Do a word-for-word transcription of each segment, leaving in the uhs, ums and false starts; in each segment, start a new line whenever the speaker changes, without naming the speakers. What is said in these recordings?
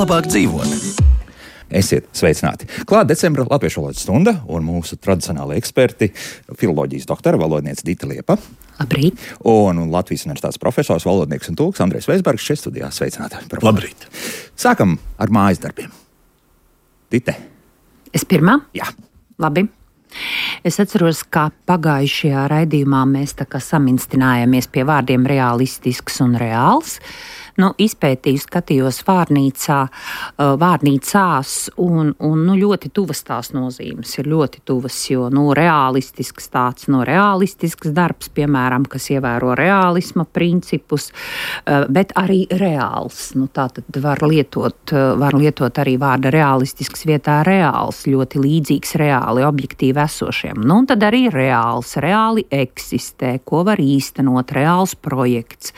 labāk dzīvot. Esiet sveicināti. Klāt decembra latviešu valodas stunda un mūsu tradicionāli eksperti filoloģijas doktora valodniece Dita Liepa.
Labrīt.
Un Latvijas universitātes profesors, valodnieks un tulks Andrejs Veisbergs šeit studijā. Sveicināti.
Labrīt.
Sākam ar mājas darbiem. Dite.
Es pirmā?
Jā.
Labi. Es atceros, ka pagājušajā raidījumā mēs tā kā saminstinājāmies pie vārdiem realistisks un reāls. Nu, izpētīju, skatījos vārnīcā, vārnīcās un, un nu, ļoti tuvas tās nozīmes ir ļoti tuvas, jo nu, realistisks tāds, no realistisks darbs, piemēram, kas ievēro realisma principus, bet arī reāls. Nu, tā tad var lietot, var lietot arī vārda realistisks vietā reāls, ļoti līdzīgs reāli objektīvi esošiem. Nu, un tad arī reāls, reāli eksistē, ko var īstenot, reāls projekts,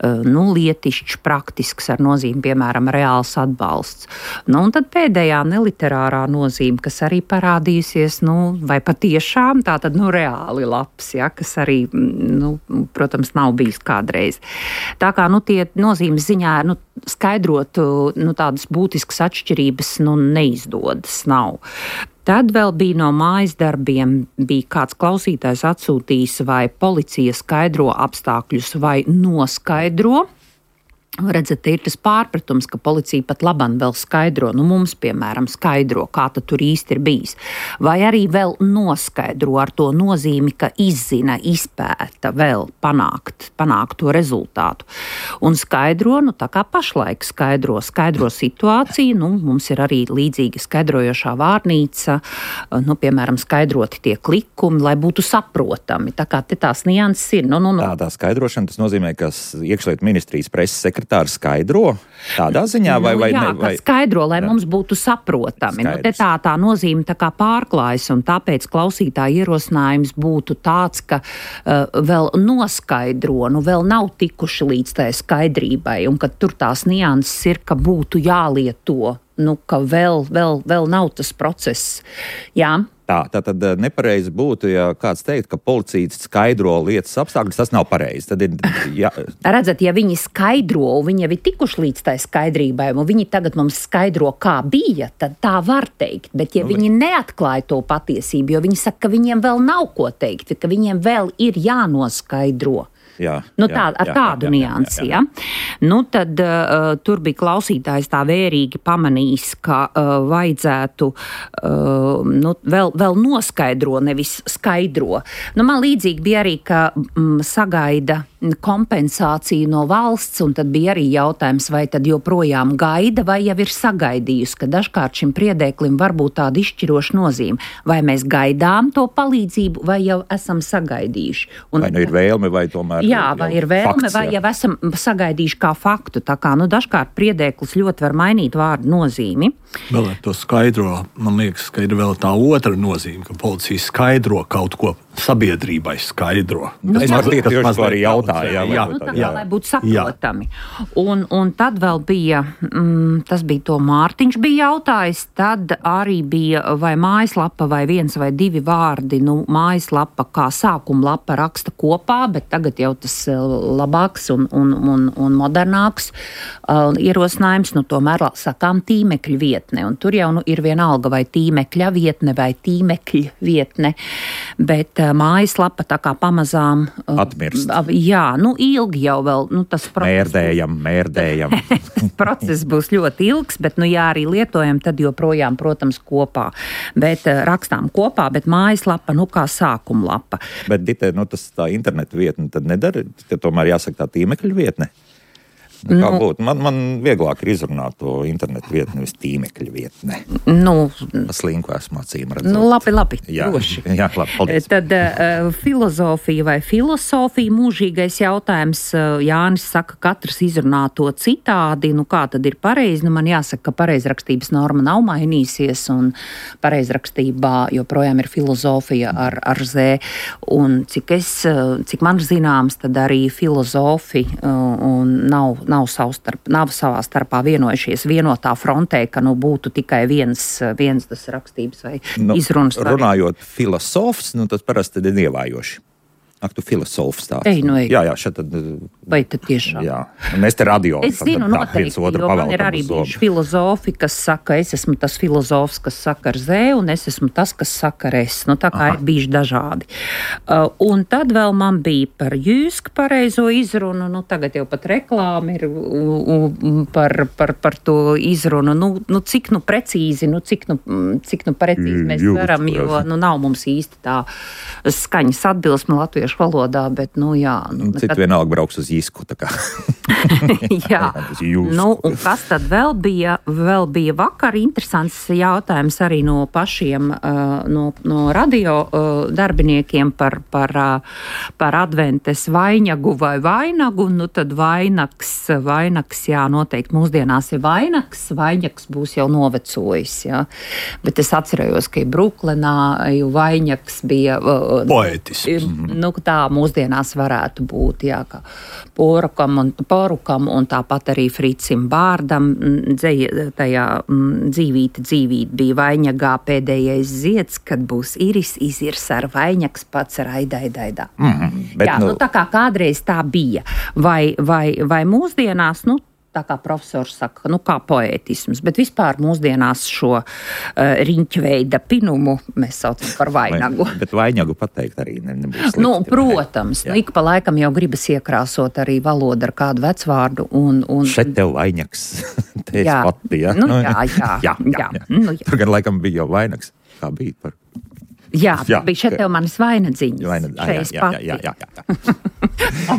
nu, lietišķi, praktisks ar nozīmi, piemēram, reāls atbalsts. Nu, un tad pēdējā neliterārā nozīme, kas arī parādījusies, nu, vai patiešām tā tad, nu, reāli labs, ja, kas arī, nu, protams, nav bijis kādreiz. Tā kā, nu, tie nozīmes ziņā, nu, skaidrot, nu, tādas būtiskas atšķirības, nu, neizdodas, nav. Tad vēl bija no mājas darbiem, bija kāds klausītājs atsūtījis, vai policija skaidro apstākļus vai noskaidro. Redzat, ir tas pārpratums, ka policija pat labam vēl skaidro, nu mums, piemēram, skaidro, kā tad tur īsti ir bijis. Vai arī vēl noskaidro ar to nozīmi, ka izzina, izpēta vēl panākt, panākt to rezultātu. Un skaidro, nu tā kā pašlaik skaidro, skaidro situāciju, nu mums ir arī līdzīga skaidrojošā vārnīca, nu piemēram, skaidroti tie klikumi, lai būtu saprotami. Tā kā te tās nianses ir. Nu, nu, nu.
Tādā skaidrošana, tas nozīmē, ka iekšlietu ministrijas preses sekretārs Tā skaidro tādā ziņā, vai, vai
nu, jā,
ne? Vai...
skaidro, lai
jā.
mums būtu saprotami. Nu, te
Skaidrs.
tā, tā nozīme tā kā pārklājas, un tāpēc klausītāja ierosinājums būtu tāds, ka uh, vēl noskaidro, nu vēl nav tikuši līdz tai skaidrībai, un ka tur tās nianses ir, ka būtu jālieto, nu ka vēl, vēl, vēl nav tas process. Jā.
Tā, tā tad nepareizi būtu, ja kāds teikt, ka policija skaidro lietas apstākļus, tas nav pareizi. Tad ir, ja...
Redzat, ja viņi skaidro, viņi jau ir tikuši līdz tai skaidrībai, un viņi tagad mums skaidro, kā bija, tad tā var teikt. Bet ja nu, viņi neatklāja to patiesību, jo viņi saka, ka viņiem vēl nav ko teikt, ka viņiem vēl ir jānoskaidro.
Jā,
nu,
jā,
tā, ar
jā,
tādu
jā, jā,
niansi,
jā, jā.
ja? Nu, tad uh, tur bija klausītājs tā vērīgi pamanījis, ka uh, vajadzētu uh, nu, vēl, vēl noskaidro, nevis skaidro. Nu, man līdzīgi bija arī, ka mm, sagaida kompensāciju no valsts, un tad bija arī jautājums, vai tad joprojām gaida, vai jau ir sagaidījusi, ka dažkārt šim priedēklim var būt tāda izšķiroša nozīme. Vai mēs gaidām to palīdzību, vai jau esam sagaidījuši. Un,
vai nu ir vēlme, vai tomēr
Jā, vai ir vēlme,
fakts,
vai jau esam sagaidījuši kā faktu. Tā kā, nu, dažkārt priedēklis ļoti var mainīt vārdu nozīmi.
Vēl ar to skaidro, man liekas, ka ir vēl tā otra nozīme, ka policija skaidro kaut ko sabiedrībai skaidro.
Nu,
es mazliet tieši to arī jautāju. Jā,
jā,
nu, tā,
jā,
lai būtu saprotami. Un, un tad vēl bija, mm, tas bija to Mārtiņš bija jautājis, tad arī bija vai mājaslapa vai viens vai divi vārdi, nu, mājaslapa kā sākuma lapa raksta kopā, bet tagad jau tas labāks un, un, un, un modernāks uh, ierosinājums, nu, tomēr sakām tīmekļa vietne, un tur jau nu, ir vienalga vai tīmekļa vietne vai tīmekļa vietne, bet uh, mājaslapa tā kā pamazām uh,
atmirst.
Uh, jā, nu, ilgi jau vēl, nu, tas process.
Mērdējam, mērdējam.
Process būs ļoti ilgs, bet, nu, ja arī lietojam, tad joprojām, protams, kopā. Bet uh, rakstām kopā, bet mājaslapa, nu, kā sākuma lapa.
Bet, Dite, nu, tas tā internetu vietne tad nedara, ka tomēr jāsaka tā tīmekļa vietne? Kā nu, būtu? Man, man vieglāk ir izrunāt to internetu vietni, nevis tīmekļa vietne.
Nu,
slinku esmu acīm redzot.
Nu, labi, labi,
jā,
droši.
Jā, labi, paldies.
Tad uh, filozofija vai filosofija mūžīgais jautājums. Uh, Jānis saka, katrs izrunā to citādi. Nu, kā tad ir pareizi? Nu, man jāsaka, ka pareizrakstības norma nav mainīsies, un pareizrakstībā joprojām ir filozofija ar, ar Z. Un cik es, cik man zināms, tad arī filozofi uh, un nav nav, savstarp, nav savā starpā vienojušies vienotā frontē, ka nu, būtu tikai viens, viens tas rakstības vai
nu,
izrunas.
Runājot filosofs, nu, tas parasti ir ievājoši. Ak, tu filozofs tāds.
Ej, nu ej.
Jā, jā, šeit tad.
Vai tad tiešām?
Jā, mēs te radio.
Es zinu, noteikti, jo man ir arī bijuši filozofi, kas saka, es esmu tas filozofs, kas saka ar Z, un es esmu tas, kas saka ar S. Nu, tā kā Aha. ir bijuši dažādi. Uh, un tad vēl man bija par Jūsku pareizo izrunu, nu, tagad jau pat reklāma ir u, u, par, par, par to izrunu. Nu, nu, cik nu precīzi, nu, cik nu, cik nu precīzi mēs
Jūs,
varam, jo nu, nav mums īsti tā skaņas atbilsme latviešu valodā, bet, nu, jā. Nu,
Citi
nekad...
vienalga brauks uz Jisku, tā kā.
jā. Nu, un kas tad vēl bija? Vēl bija vakar interesants jautājums arī no pašiem, uh, no, no radio uh, darbiniekiem par, par, uh, par adventes vainagu vai vainagu. Nu, tad vainags, vainags, jā, noteikti mūsdienās ir vainags, vainags būs jau novecojis, jā. Bet es atcerējos, ka Bruklenā jau vainags bija... Uh,
Poetisks.
Nu, tā mūsdienās varētu būt, jā, kā porukam un, porukam un tāpat arī Fricim Bārdam dzēja, tajā m, dzīvīti dzīvīti bija vainagā pēdējais zieds, kad būs iris izirs ar vainags pats raidaidā.
Mm, bet,
jā, nu, nu tā kā kādreiz tā bija. Vai, vai, vai mūsdienās, nu, tā kā profesors saka, nu kā poētisms, bet vispār mūsdienās šo uh, riņķveida pinumu mēs saucam par vainagu.
Bet vainagu pateikt arī ne, nebūs slikti.
Nu, protams, nu, ik pa laikam jau gribas iekrāsot arī valodu ar kādu vecvārdu. Un, un...
Šeit tev vainags, te es pati, ja?
Nu, jā, jā,
jā, jā, jā.
jā. Nu, jā.
Tur gan laikam bija jau vainags, kā bija par...
Jā,
jā,
bija šeit tev manis vainadziņas.
Vaina...
Jā,
jā, jā, jā, jā, jā.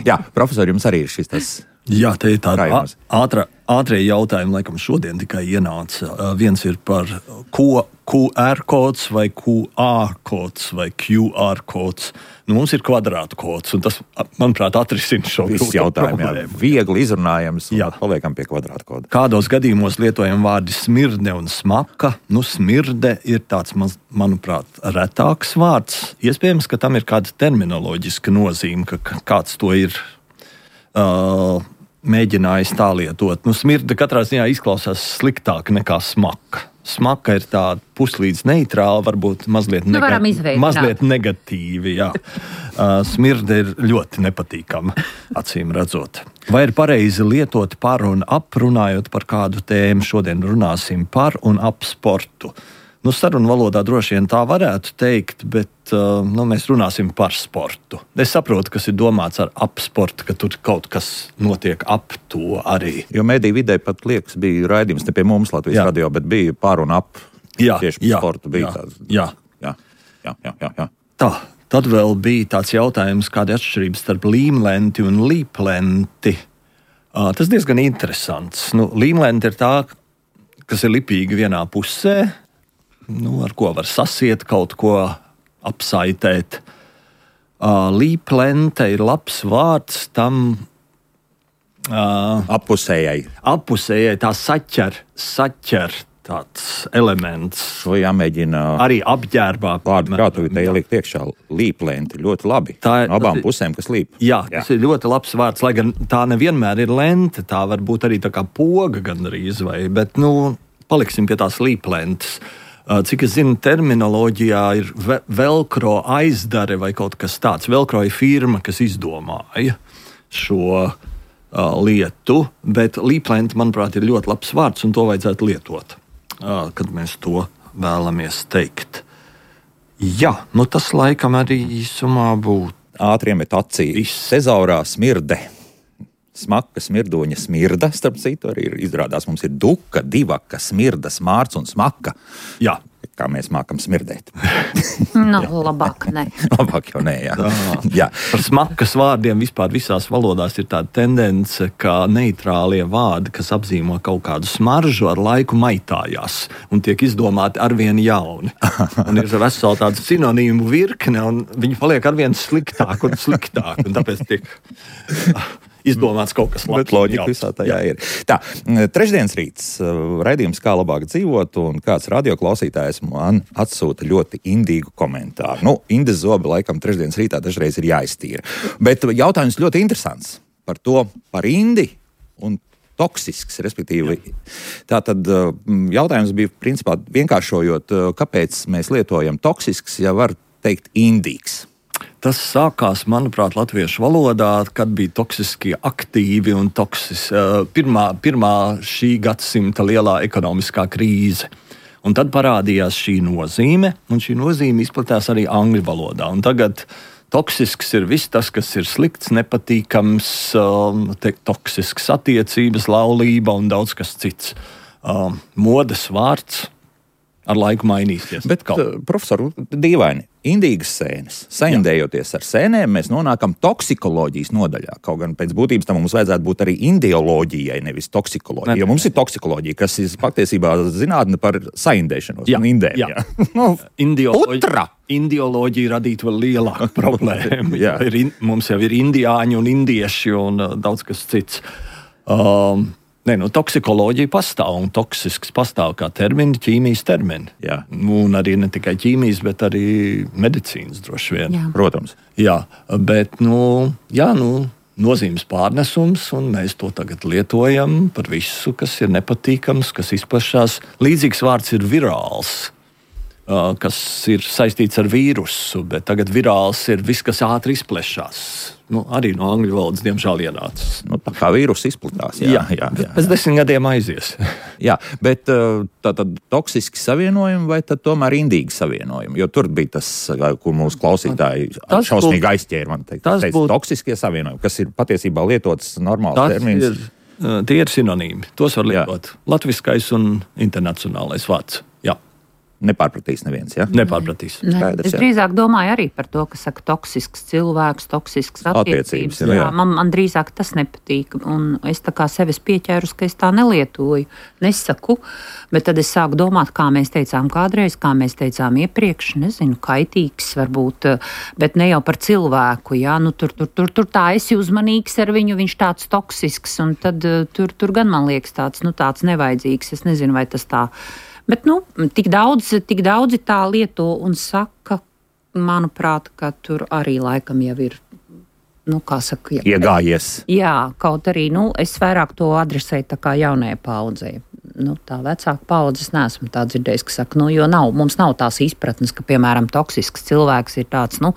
Jā, profesori, jums arī ir šis tas...
Jā, te ir tāda
Raimons.
ātrā, ātrie jautājumi, laikam šodien tikai ienāca. Uh, viens ir par ko, Q R kods vai Q A kods vai Q R kods. Nu, mums ir kvadrātu kods, un tas, manuprāt, atrisina šo
jautājumu. Jā, viegli izrunājams, un
jā.
Paliekam pie kvadrātu koda.
Kādos gadījumos lietojam vārdi smirde un smaka? Nu, smirde ir tāds, manuprāt, retāks vārds. Iespējams, ka tam ir kāda terminoloģiska nozīme, ka kāds to ir... Uh, mēģinājis tā lietot. Nu, smirde katrā ziņā izklausās sliktāk nekā smaka. Smaka ir tāda puslīdz neitrāla, varbūt mazliet,
nu,
nega- mazliet negatīvi. Jā. Uh, smirde ir ļoti nepatīkama, acīm redzot. Vai ir pareizi lietot par un ap, runājot par kādu tēmu? Šodien runāsim par un ap sportu. Nu, sarunu valodā droši vien tā varētu teikt, bet uh, nu, mēs runāsim par sportu. Es saprotu, kas ir domāts ar ap sportu, ka tur kaut kas notiek ap to arī.
Jo mediju vidē pat liekas, bija raidījums ne pie mums Latvijas jā. Radio, bet bija par un ap
jā,
tieši par
jā,
sportu. Bija
jā,
tāds,
jā.
Jā, jā, jā, jā, jā.
Tā, tad vēl bija tāds jautājums, kāda ir atšķirība starp līmlenti un līplenti. Uh, tas diezgan interesants. Nu, līmlenti ir tā, kas ir lipīga vienā pusē, nu, ar ko var sasiet, kaut ko apsaitēt. Uh, līplente ir labs vārds tam uh,
Appusējai.
Appusējai, tā saķer, saķer tāds elements.
To jāmēģina
arī apģērbā.
Vārdu krātuvī te ielikt iekšā līplenti ļoti labi.
Tā ir,
no abām
tas,
pusēm, kas līp.
Jā, jā, tas ir ļoti labs vārds, lai gan tā nevienmēr ir lente, tā var būt arī tā kā poga gandrīz vai, bet, nu, paliksim pie tās līplentes. Cik es zinu, terminoloģijā ir velkro aizdare vai kaut kas tāds. Velkro ir firma, kas izdomāja šo uh, lietu, bet līplenti, manuprāt, ir ļoti labs vārds, un to vajadzētu lietot, uh, kad mēs to vēlamies teikt. Jā, nu tas laikam arī īsumā būtu.
Ātri iemet acī. Tezaurā smirde. Smaka, smirdoņa, smirda, starp citu, arī ir, izrādās mums ir duka, divaka, smirda, smārts un smaka.
Jā.
Kā mēs mākam smirdēt.
Nu, labāk ne.
Labāk jau nē, jā. jā.
Par smakas vārdiem vispār visās valodās ir tāda tendence, ka neitrālie vārdi, kas apzīmē kaut kādu smaržu, ar laiku maitājās un tiek izdomāti arvien jauni. Un ir vesela tāda sinonīmu virkne, un viņi paliek arvien sliktāk un sliktāk, un tāpēc tiek izdomāts kaut kas labs.
Bet loģika visā tajā jā. Ir. Tā, trešdienas rīts, raidījums Kā labāk dzīvot, un kāds radioklausītājs man atsūta ļoti indīgu komentāru. Nu, Indes zobi laikam trešdienas rītā dažreiz ir jāiztīra. Bet jautājums ļoti interesants par to, par indi un toksisks, respektīvi. Tātad jautājums bija principā vienkāršojot, kāpēc mēs lietojam toksisks, ja var teikt indīgs.
Tas sākās, manuprāt, latviešu valodā, kad bija toksiskie aktīvi un toksis, pirmā, pirmā šī gadsimta lielā ekonomiskā krīze. Un tad parādījās šī nozīme, un šī nozīme izplatās arī angļu valodā. Un tagad toksisks ir viss tas, kas ir slikts, nepatīkams, te, toksisks attiecības, laulība un daudz kas cits. Modes vārds ar laiku mainīsies.
Bet, profesor, dīvaini, indīgas sēnes. Saindējoties ar sēnēm, mēs nonākam toksikoloģijas nodaļā. Kaut gan pēc būtības tam mums vajadzētu būt arī indioloģijai, nevis toksikoloģija. Ne. Jo mums ir toksikoloģija, kas ir patiesībā zinātne par saindēšanos.
Jā,
indēm,
jā.
jā. no,
Indioloģija, indioloģija radītu vēl lielāku problēmu. ir in, mums jau ir indiāņi un indieši un uh, daudz kas cits. Um, Nē, nu, toksikoloģija pastāv, un toksisks pastāv kā termini, ķīmijas termini.
Jā.
Un arī ne tikai ķīmijas, bet arī medicīnas droši vien.
Jā.
Protams.
Jā, bet nu, jā, nu, nozīmes pārnesums, un mēs to tagad lietojam par visu, kas ir nepatīkams, kas izplešās. Līdzīgs vārds ir virāls, kas ir saistīts ar vīrusu, bet tagad virāls ir viss, kas ātri izplešās. Nu, arī no angļu valodas, diemžēl, ienācis.
Nu, tā kā vīrus izplatās. Jā, jā, jā, jā.
Pēc desmit gadiem aizies.
jā, bet tā tad toksiski savienojumi vai tad tomēr indīgi savienojumi? Jo tur bija tas, ko mūsu klausītāji tas šausmīgi būt, aizķēra, man teikt. Tas teica, būt, toksiskie savienojumi, kas ir patiesībā lietots normāls termins.
Ir, tie ir sinonīmi. Tos var lietot. Jā. Latviskais un internacionālais vārds. Jā.
Nepārpratīs neviens, ja?
Nepārpratīs.
Ne. Skaidrs, es drīzāk domāju arī par to, ka saka toksisks cilvēks, toksisks attiecības. attiecības jā, jā. Man, man drīzāk tas nepatīk, un es tā kā sevis pieķērus, ka es tā nelietoju, nesaku, bet tad es sāku domāt, kā mēs teicām kādreiz, kā mēs teicām iepriekš, nezinu, kaitīgs varbūt, bet ne jau par cilvēku, jā, nu tur, tur, tur, tur tā esi uzmanīgs ar viņu, viņš tāds toksisks, un tad tur, tur gan man liekas tāds, nu tāds nevajadzīgs, es nezinu, vai tas tā. Bet, nu, tik daudz, tik daudzi tā lieto un saka, manuprāt, ka tur arī laikam jau ir, nu, kā saka, jā,
iegājies.
Jā, kaut arī, nu, es vairāk to adresēju tā kā jaunajai paudzei. Nu, tā vecāka paudze es neesmu tā dzirdējis, ka saka, nu, jo nav, mums nav tās izpratnes, ka, piemēram, toksisks cilvēks ir tāds, nu,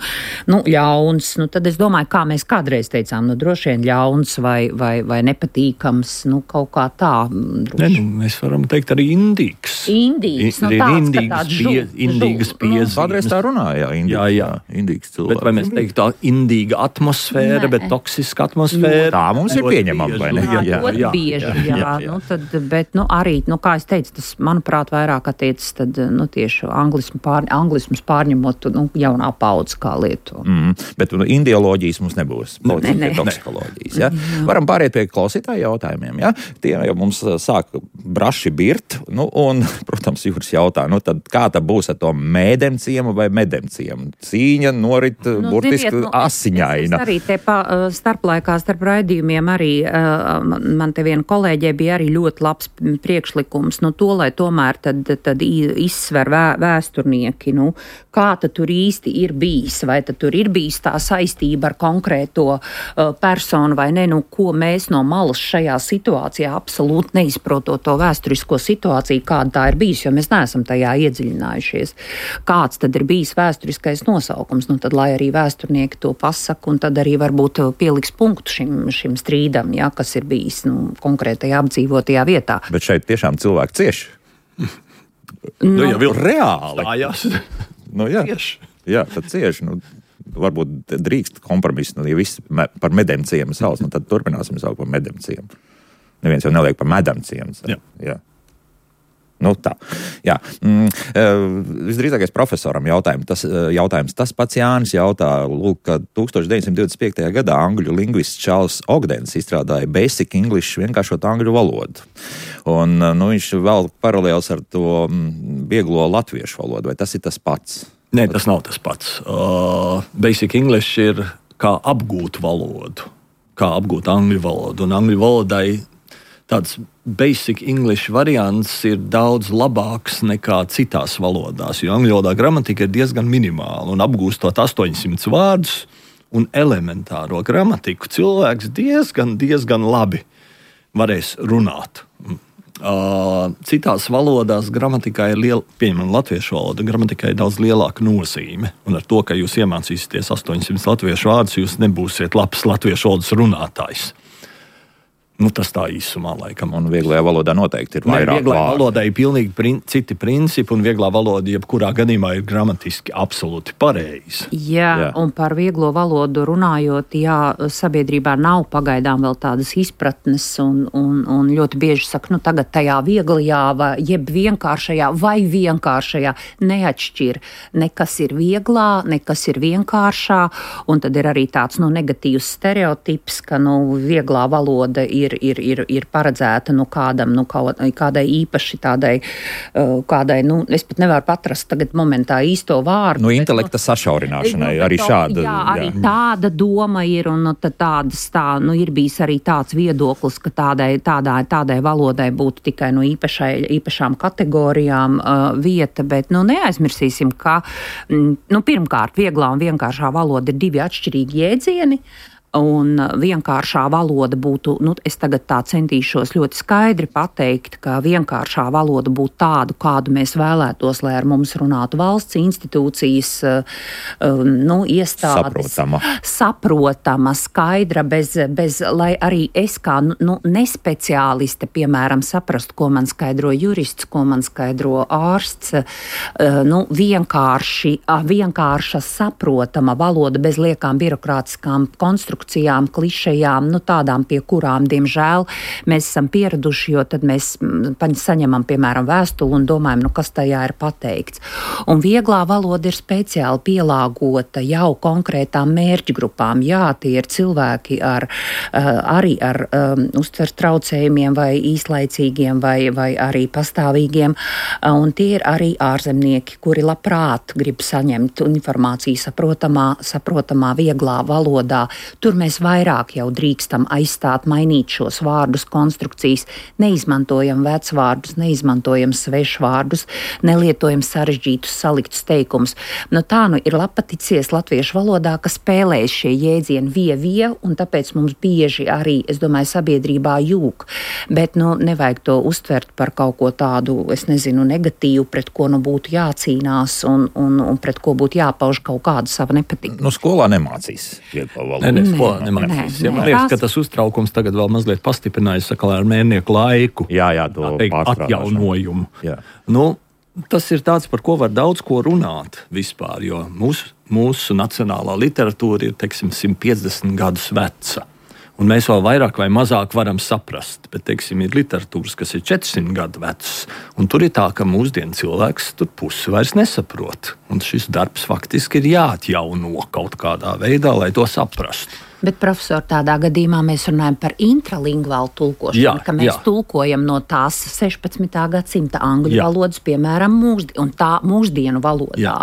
nu ļauns, nu, tad es domāju, kā mēs kādreiz teicām, nu, droši vien ļauns vai, vai, vai nepatīkams, nu, kaut kā tā.
Ne, nu, mēs varam teikt arī indīgs.
Indīgs, nu, tāds, indīgas ka tāds žu,
pie, indīgas piezīmes.
Kādreiz tā runāja, jā, indīgs, jā, jā. indīgs cilvēks.
Bet vai mēs teiktu tā indīga atmosfēra, ne. bet toksiska atmosfēra?
Tā mums ir pieņemama, vai ne?
Jā, jā, jā, jā, bieži, jā, jā, jā, jā. Nu, tad, bet, nu, arī, nu, kā es teicu, tas, manuprāt, vairāk attiecas tad, nu, tieši anglismu pār, anglismus pārņemot, nu, jaunā paudze kā lietu.
Mm, bet nu, indioloģijas mums nebūs.
Ne, ne.
Toksikoloģijas, ja? Varam pāriet pie klausītāju jautājumiem, ja? Tie jau mums sāk braši birt, nu, un, protams, Jūras jautā, nu, tad kā tad būs ar to mēdemciemu vai medemciemu? Cīņa norit nu, burtiski nu, asiņaina.
Es, es arī te pa, starplaikā starp raidījumiem arī, man te viena kolēģē bija arī ļoti labs priekšlikums, nu, to, lai tomēr tad, tad izsver vē, vēsturnieki, nu, kā tad tur īsti ir bijis, vai tad tur ir bijis tā saistība ar konkrēto uh, personu, vai ne, nu, ko mēs no malas šajā situācijā absolūti neizprotot to vēsturisko situāciju, kāda tā ir bijis, jo mēs neesam tajā iedziļinājušies. Kāds tad ir bijis vēsturiskais nosaukums, nu, tad, lai arī vēsturnieki to pasaka, un tad arī varbūt pieliks punktu šim, šim strīdam, ja, kas ir bijis, nu, konkrētajā apdzīvotajā vietā.
Bet šeit tiešām cilvēki cieši.
Nu, nu, jau ir reāli. Stājās.
Nu, jā, jā, tad cieši. Nu, varbūt drīkst kompromisu, nu, ja viss me, par medemciemu sauc, nu, tad turpināsim saukt par medemciemu. Neviens jau neliek par medemciemu. Jā. Jā. Nu, tā. Jā. Mm, visdrīzākais profesoram jautājums. Tas, jautājums. Tas pats Jānis jautā, lūk, ka tūkstoš deviņsimt divdesmit piektajā gadā angļu lingvists Čārls Ogdens izstrādāja Basic English, vienkāršot angļu valodu. Un nu, viņš vēl paralēls ar to vieglo latviešu valodu. Vai tas ir tas pats?
Nē, tas nav tas pats. Uh, Basic English ir kā apgūt valodu, kā apgūt angļu valodu. Un angļu valodai tāds Basic English variants ir daudz labāks nekā citās valodās, jo angļu valodā gramatika ir diezgan minimāla, un apgūstot astoņsimt vārdus un elementāro gramatiku, cilvēks diezgan, diezgan labi varēs runāt. Uh, citās valodās gramatikā ir liela, piemēram, latviešu valoda, gramatikā ir daudz lielāka nozīme. Un ar to, ka jūs iemācīsieties astoņsimt latviešu vārdus, jūs nebūsiet labs latviešu valodas runātājs. Nu, tas tā īsumā laikam.
Un vieglajā valodā noteikti ir vairāk vārdu.
Vieglajā valodā ir pilnīgi prin- citi principi, un vieglā valoda jebkurā gadījumā ir gramatiski absolūti pareizi.
Jā, jā, un par vieglo valodu runājot, jā, sabiedrībā nav pagaidām vēl tādas izpratnes, un, un, un ļoti bieži saka, nu tagad tajā vieglajā, vai, jeb vienkāršajā vai vienkāršajā neatšķir. Nekas ir vieglā, nekas ir vienkāršā, un tad ir arī tāds, nu, negatīvs stereotips, ka, nu, vieglā valoda ir Ir, ir, ir paredzēta nu, kādam, nu, kādai īpaši tādai, kādai, nu, es pat nevaru patrast tagad momentā īsto vārdu.
Nu, intelekta bet, sašaurināšanai
nu,
arī
to,
šāda.
Jā, arī
jā.
tāda doma ir, un nu, tādas, tā, nu, ir bijis arī tāds viedoklis, ka tādai, tādai, tādai valodai būtu tikai no īpašai, īpašām kategorijām uh, vieta, bet, nu, neaizmirsīsim, ka, mm, nu, pirmkārt, vieglā un vienkāršā valoda ir divi atšķirīgi jēdzieni. Un vienkāršā valoda būtu, nu, es tagad tā centīšos ļoti skaidri pateikt, ka vienkāršā valoda būtu tādu, kādu mēs vēlētos, lai ar mums runātu valsts institūcijas, nu, iestādes.
Saprotama.
Saprotama, skaidra, bez, bez, lai arī es kā, nu, nespeciāliste, piemēram, saprastu, ko man skaidro jurists, ko man skaidro ārsts, nu, vienkārši, vienkārša saprotama valoda bez liekām birokrātiskām konstrukcijām, klišejām, nu tādām, pie kurām, diemžēl, mēs esam pieraduši, jo tad mēs saņemam, piemēram, vēstuli un domājam, nu kas tajā ir pateikts. Un vieglā valoda ir speciāli pielāgota jau konkrētām mērķgrupām. Jā, tie ir cilvēki ar, arī ar um, uztveres traucējumiem vai īslaicīgiem vai, vai arī pastāvīgiem, un tie ir arī ārzemnieki, kuri labprāt grib saņemt informāciju saprotamā, saprotamā vieglā valodā. Tur mēs vairāk jau drīkstam aizstāt, mainīt šos vārdus, konstrukcijas, neizmantojam vecvārdus, neizmantojam svešvārdus, nelietojam sarežģītus saliktus teikumus. Nu, tā nu ir lapaticies latviešu valodā, ka spēlēs šie jēdzieni vie, vie, un tāpēc mums bieži arī, es domāju, sabiedrībā jūg. Bet, nu, nevajag to uztvert par kaut ko tādu, es nezinu, negatīvu, pret ko nu būtu jācīnās un, un, un pret ko būtu jāpauž kaut kādu savu nepatiku.
Nu, skolā nemācīs vieglo valodu.
Ne, ne, skolā nemācīs. Ja, man liekas, ka tas uztraukums tagad vēl mazliet pastiprinājis sakalā ar Mērnieku laiku.
Jā, jā, to
atjaunojumu.
Jā.
Nu, tas ir tāds, par ko var daudz ko runāt vispār, jo mūsu, mūsu nacionālā literatūra ir, teiksim, simt piecdesmit gadus veca. Un mēs vēl vairāk vai mazāk varam saprast, bet, teiksim, ir literatūras, kas ir četrsimt gadu vecas, un tur ir tā, ka mūsdienu cilvēks tur pusi vairs nesaprot. Un šis darbs faktiski ir jāatjauno kaut kādā veidā, lai to saprastu.
Bet, profesor, tādā gadījumā mēs runājam par intralingvālu tulkošanu,
jā,
ka mēs
jā.
tulkojam no tās sešpadsmitā gadsimta angļu jā. valodas, piemēram, mūsdi, un tā mūsdienu valodā. Jā.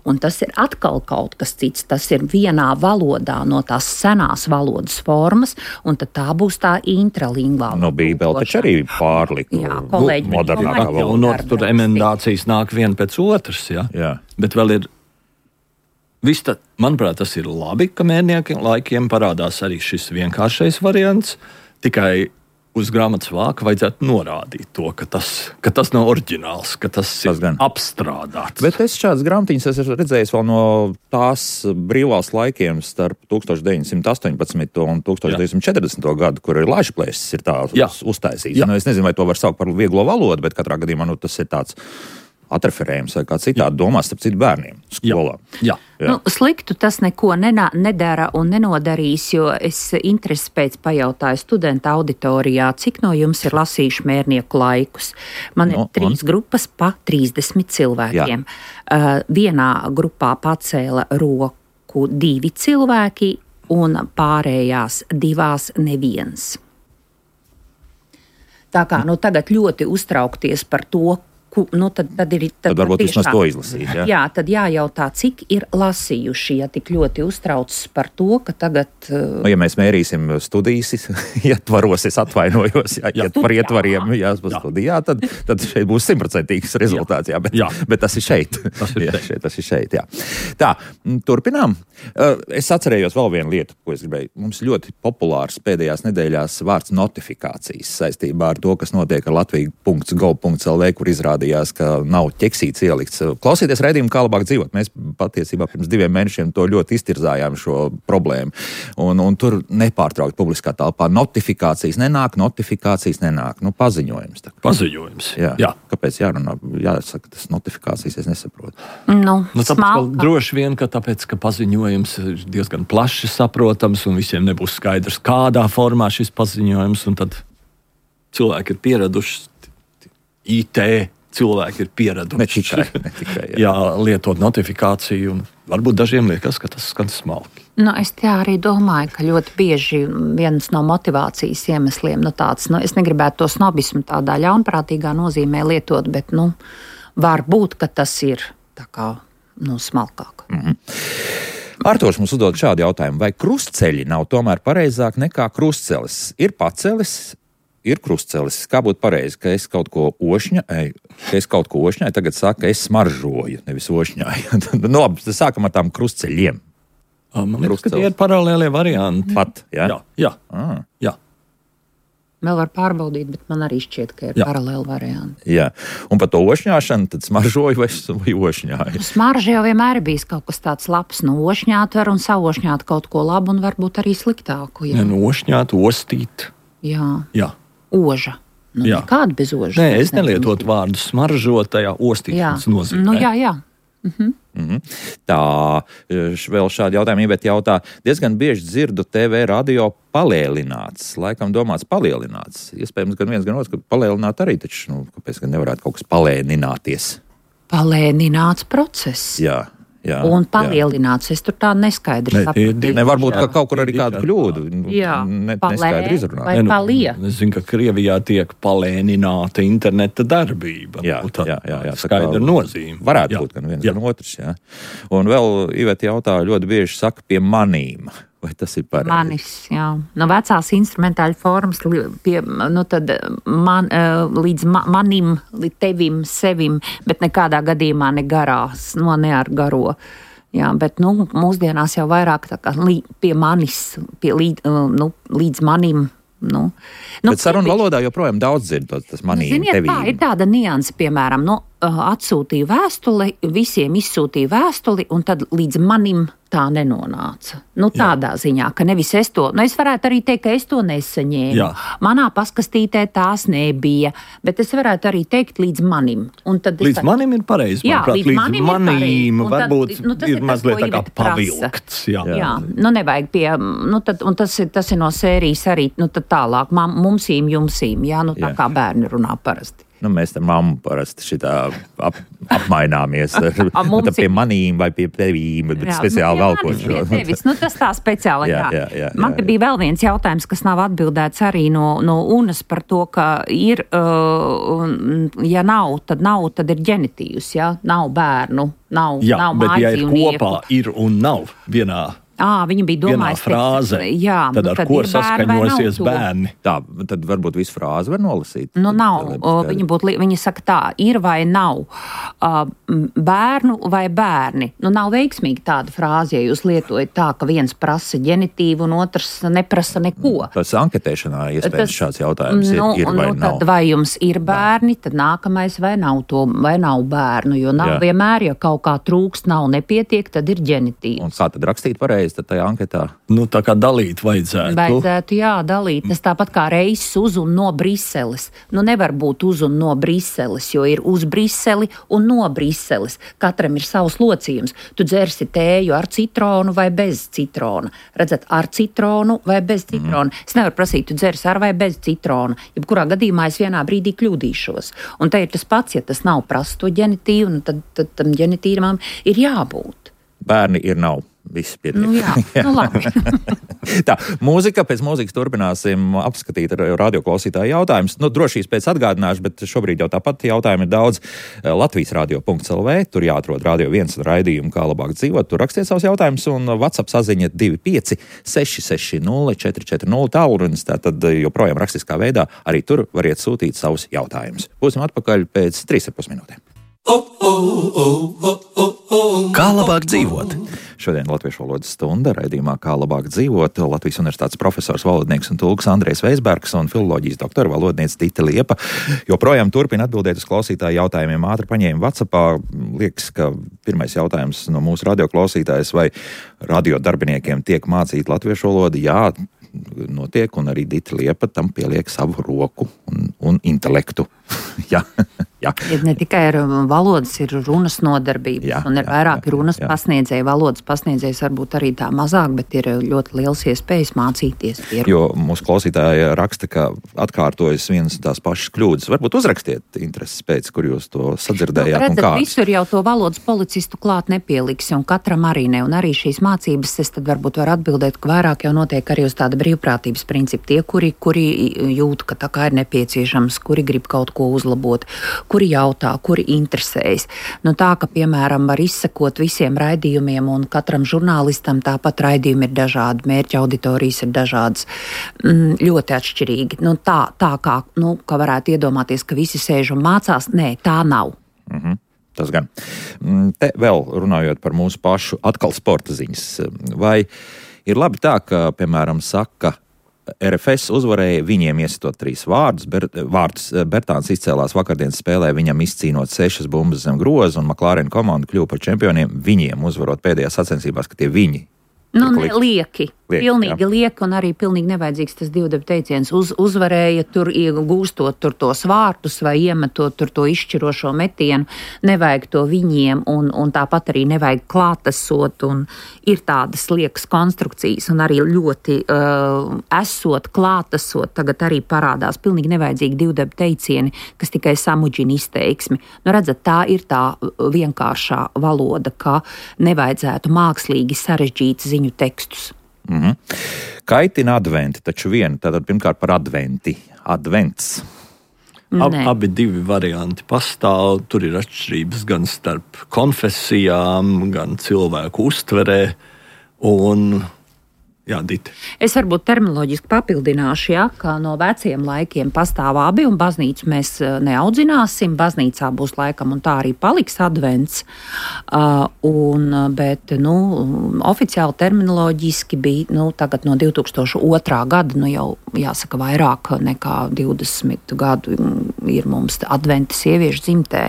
Un tas ir atkal kaut kas cits. Tas ir vienā valodā no tās senās valodas formas, un tad tā būs tā intralingvāla.
No Bībele taču arī pārlika.
Jā, kolēģi.
Nu, modernākā valoda.
Un no, tur emendācijas nāk viena pēc otras, jā.
jā.
Bet vēl ir Viss tā, manuprāt, tas ir labi, ka Mērniekiem laikiem parādās arī šis vienkāršais variants, tikai uz grāmatas vāka vajadzētu norādīt to, ka tas, ka tas nav oriģināls, ka tas, tas ir gan apstrādāts.
Bet es šādas grāmatiņas esmu redzējis vēl no tās brīvās laikiem starp tūkstoš deviņsimt astoņpadsmito un tūkstoš deviņsimt četrdesmito gadu, kur ir lāčplēsis ir tā uz, uztaisīts. Nu, es nezinu, vai to var saukt par vieglo valodu, bet katrā gadījumā nu, tas ir tāds atreferējums vai kā citādi domās starp citu bērniem skolā.
Jā. Jā.
Nu, sliktu tas neko nenā, nedara un nenodarīs, jo es interesi pēc pajautāju studenta auditorijā, cik no jums ir lasījuši Mērnieku laikus. Man no, ir trīs un? grupas pa trīsdesmit cilvēkiem. Uh, vienā grupā pacēla roku divi cilvēki un pārējās divās neviens. Tā kā nu, tagad ļoti uztraukties par to, ku, nu, tad, tad ir.
Tad, tad varbūt vismaz to izlasīt. Jā,
jā tad jājautā, cik ir lasījuši, ja tik ļoti uztraucas par to, ka tagad. Uh,
nu, ja mēs mērīsim studijas ietvaros, es atvainojos, ja, ja par ietvariem jāspas studijā, tad, tad šeit būs simtprocentīgs rezultāts. Jā, bet, jā. bet tas ir šeit. Tas ir, jā, šeit, tas ir šeit jā. Tā, turpinām. Uh, es atcerējos vēl vienu lietu, ko es gribēju. Mums ļoti populārs pēdējās nedēļās vārds notifikācijas saistībā ar to, kas notiek ar latvija punkts gov punkts el vē, kur izrāda ka nav ķeksīts ielikts. Klausieties raidījumu, kā labāk dzīvot. Mēs patiesībā pirms diviem mēnešiem to ļoti iztirzājām šo problēmu. Un, un tur nepārtraukt publiskā telpā notifikācijas nenāk, notifikācijas nenāk. Nu, paziņojums. Tā.
Paziņojums.
Jā. Jā. Kāpēc jārunā? Jāsaka, tas notifikācijas es nesaprotu.
Nu,
nu, tāpēc, droši vien, ka tāpēc, ka paziņojums ir diezgan plaši saprotams un visiem nebūs skaidrs, kādā formā šis paziņojums, un tad cilvēki ir pieraduši I T cilvēki ir pieraduši.
Ne tikai, ne tikai, jā.
jā, lietot notifikāciju, un varbūt dažiem liekas, ka tas skan smalki.
Nu, es tā arī domāju, ka ļoti bieži viens no motivācijas iemesliem, nu tāds, nu, es negribētu to snobismu tādā ļaunprātīgā nozīmē lietot, bet, nu, var būt, ka tas ir tā kā, nu, smalkāk.
Mm-hmm. Arturs mums uzdod šādu jautājumu, vai krustceļi nav tomēr pareizāk nekā krustcelis? Ir pacelis, ir krustcelis. Kā būtu pareizi, ka es kaut ko ošņāju, ka es kaut ko ošņāju, tagad saka, es smaržoju, nevis ošņāju. Nu, labi, sākam ar tām krustceļiem.
Man liekas, ka tie ir paralēlie varianti.
Pat, jā?
Jā, jā.
Ah.
jā.
Vēl var pārbaudīt, bet man arī šķiet, ka ir jā. paralēli varianti.
Jā, un par to ošņāšanu tad smaržoju vai, vai ošņāju?
Smarža jau vienmēr ir bijis kaut kas tāds labs. Nu, ošņāt var un savošņāt kaut ko labu un varbūt arī sliktāku. Jā,
ja, nu, ošņāt, ostīt.
Jā.
Jā.
Oža. Nu, nekāda bez ožas.
Nē, es nelietotu vārdu smaržot tajā ostīšanas nozīmē.
Nu, jā, jā. Mhm.
Mm-hmm. Tā, vēl šādi jautājumi Iveta jautā. Diezgan bieži dzirdu T V radio palielināts. Laikam domāts palielināts. Iespējams, gan viens, gan otrs, ka palielināt arī, taču, nu, kāpēc gan nevarētu kaut kas palēnināties?
Palēnināts process.
Jā. Jā,
un palielināts. Jā. Es tur tā neskaidri
ne,
saprotu.
Ne, varbūt, ka kaut kur arī kāda kļūda.
Jā,
ne,
palē vai
nu,
palie.
Es zinu, ka Krievijā tiek palēnināta interneta darbība.
Jā,
tā,
jā, jā, jā.
Skaidra nozīme.
Varētu
jā.
būt gan viens,
jā.
gan otrs. Jā. Un vēl Iveta jautā, ļoti bieži saka pie manīm. Vai tas ir pareizi?
Manis, jā. No vecās instrumentāļu formas pie, nu tad man, līdz ma, manim, līdz tevim, sevim, bet nekādā gadījumā ne garās, no ne ar garo. Jā, bet, nu, mūsdienās jau vairāk tā kā lī, pie manis, pie līd, nu, līdz manim. Nu, nu,
bet sarunu valodā joprojām daudz dzird tas manīm,
ziniet,
tevīm.
Tā ir tāda nianse, piemēram, nu, atsūtīja vēstuli, visiem izsūtīja vēstuli, un tad līdz manim tā nenonāca. Nu, tādā Jā. ziņā, ka nevis es to, nu, es varētu arī teikt, ka es to nesaņēmu. Jā. Manā paskastītē tās nebija, bet es varētu arī teikt līdz manim. Un tad
līdz
tā...
manim ir pareizi.
Jā,
manuprāt,
līdz manim,
manīm
ir
varbūt
tad, nu,
ir,
ir
mazliet
tas,
tā kā pavilkts. Jā.
Jā. Jā, nu nevajag pie, nu tad, un tas ir, tas ir no sērijas arī, nu tad tālāk, mumsīm, jumsīm, jā, nu tā jā. Kā bērni runā parasti.
Nu, mēs ar mammu parasti šitā ap, apmaināmies ar, ar pie manīm vai pie tevīm, bet jā, speciāli valkot šo.
Tevis, nu, tas tā speciāli, jā.
jā, jā, jā
Man te bija vēl viens jautājums, kas nav atbildēts arī no, no Unas par to, ka ir, uh, ja nav, tad nav, tad ir ģenitīvs, jā, nav bērnu, nav,
jā,
nav
bet ja ir
mājdzīvnieku.
kopā, ir un nav vienā.
À, viņa bija domājusi,
frāze,
jā,
tad ar
tad
ko saskaņosies bērni?
Tā, tad varbūt visu frāzi var nolasīt.
Nu, nav. Viņa, būtu, viņa saka tā, ir vai nav bērnu vai bērni. Nu, nav veiksmīgi tāda frāze, ja jūs lietojat tā, ka viens prasa ģenitīvu un otrs neprasa neko.
Tas anketēšanā iespējams šāds jautājums
nu,
ir, ir vai
nu,
nav.
Tad vai jums ir bērni, tad nākamais vai nav to, vai nav bērnu, jo nav jā. Vienmēr, ja kaut kā trūkst, nav nepietiek, tad ir ģenitīvs.
Un kā tad rakstīt pareizi? Tad tajā anketā?
Nu, tā kā dalīt vajadzētu.
Vajadzētu, jā, dalīt. Tas tāpat kā reiss uz un no Briseles. Nu, nevar būt uz un no Briseles, jo ir uz Briseli un no Briseles. Katram ir savs locījums. Tu dzersi tēju ar citronu vai bez citrona. Redzat, ar citronu vai bez citrona. Mm. Es nevaru prasīt, tu dzersi ar vai bez citrona. Jebkurā gadījumā es vienā brīdī kļūdīšos. Un te ir tas pats, ja tas nav prasto ģenitīvu, nu tad, tad tam ģenitīvam ir jābūt.
Bērni ir nav. Viss pietiek.
Nu, jā, nu labi.
Tā, mūzika, pēc mūzikas turpināsim apskatīt radioklausītāju jautājumus. Nu, drošības pēc atgādināšu, bet šobrīd jau tāpat jautājumi ir daudz. Latvijas radio punkts el vē, tur jāatrod Radio viens un raidījumu, kā labāk dzīvot. Tur rakstiet savus jautājumus un WhatsApp saziņa divi pieci seši seši nulle četri četri nulle tālrunis. Tātad joprojām rakstiskā veidā arī tur variet sūtīt savus jautājumus. Būsim atpakaļ pēc trīs ar pus minūtēm.
Kā labāk dzīvot?
Šodien Latviešu valodas stunda raidījumā Kā labāk dzīvot. Latvijas universitātes profesors, valodnieks un tulks Andrejs Veisbergs un filoloģijas doktora valodniece Dita Liepa joprojām turpina atbildēt uz klausītāju jautājumiem. Ātri paņēma WhatsAppā. Liekas, ka pirmais jautājums no mūsu radioklausītājas, vai radio darbiniekiem tiek mācīta latviešu valoda? Jā, notiek, un arī Dita Liepa tam pieliek savu roku un, un intelektu. Jā. Jā.
Ir ne tikai ar valodas, ir runas nodarbības, jā, un ir jā, vairāk jā, runas jā. pasniedzēji. Valodas pasniedzējs varbūt arī tā mazāk, bet ir ļoti liels iespējas mācīties. Pieru.
Jo mūsu klausītāja raksta, ka atkārtojas vienas tās pašas kļūdas. Varbūt uzrakstiet intereses pēc, kur jūs to sadzirdējāt. Nu,
redzat, visur jau to valodas policistu klāt nepieliksi, un katram arī ne. Un arī šīs mācības, es tad varbūt varu atbildēt, ka vairāk jau notiek arī uz tāda brīvprātības principa. Tie, kuri, kuri jūt, ka tā kā ir nepieciešams, kuri grib kaut ko uzlabot, kuri jautā, kuri interesējas. Nu tā, ka, piemēram, var izsekot visiem raidījumiem, un katram žurnālistam tāpat raidījumi ir dažādi, mērķa auditorijas ir dažādas, mm, ļoti atšķirīgi. Nu tā, tā kā, nu, ka varētu iedomāties, ka visi sēž un mācās, nē, tā nav.
Mhm. Tas gan. Te vēl runājot par mūsu pašu atkal sporta ziņas. Vai ir labi tā, ka, piemēram, saka, er ef es uzvarēja viņiem iesitot trīs vārdus. Ber, vārdus Bertāns izcēlās vakardienas spēlē, viņam izcīnot sešas bumbas zem groza, un McLaren komanda kļuva par čempioniem, viņiem uzvarot pēdējās sacensībās, ka tie viņi.
Nu, ne, lieki. lieki. Pilnīgi jā. lieki, un arī pilnīgi nevajadzīgs tas divdebu teiciens. Uz, uzvarēja tur, gūstot tur tos vārtus vai iemetot tur to izšķirošo metienu. Nevajag to viņiem, un, un tāpat arī nevajag klātesot, un ir tādas liekas konstrukcijas, un arī ļoti uh, esot, klātesot, tagad arī parādās pilnīgi nevajadzīgi divdebu teicieni, kas tikai samudžina izteiksmi. Nu, redzat, tā ir tā vienkāršā valoda, ka nevajadzētu mākslīgi sarežģīt ziņu tekstus.
Mm-hmm. Kaitina adventi, taču viena, tātad pirmkārt par adventi. Advents.
Ab, abi divi varianti pastāv, tur ir atšķirības gan starp konfesijām, gan cilvēku uztverē, un jā, Dita.
Es varbūt terminoloģiski papildināšu, ja, ka no veciem laikiem pastāv abi, un baznīcu mēs neaudzināsim, baznīcā būs laikam un tā arī paliks advents, uh, un, bet, nu, oficiāli terminoloģiski bija, nu, tagad no divi tūkstoši otrā gada, nu, jau jāsaka vairāk nekā divdesmit gadu ir mums adventa sieviešu dzimtē,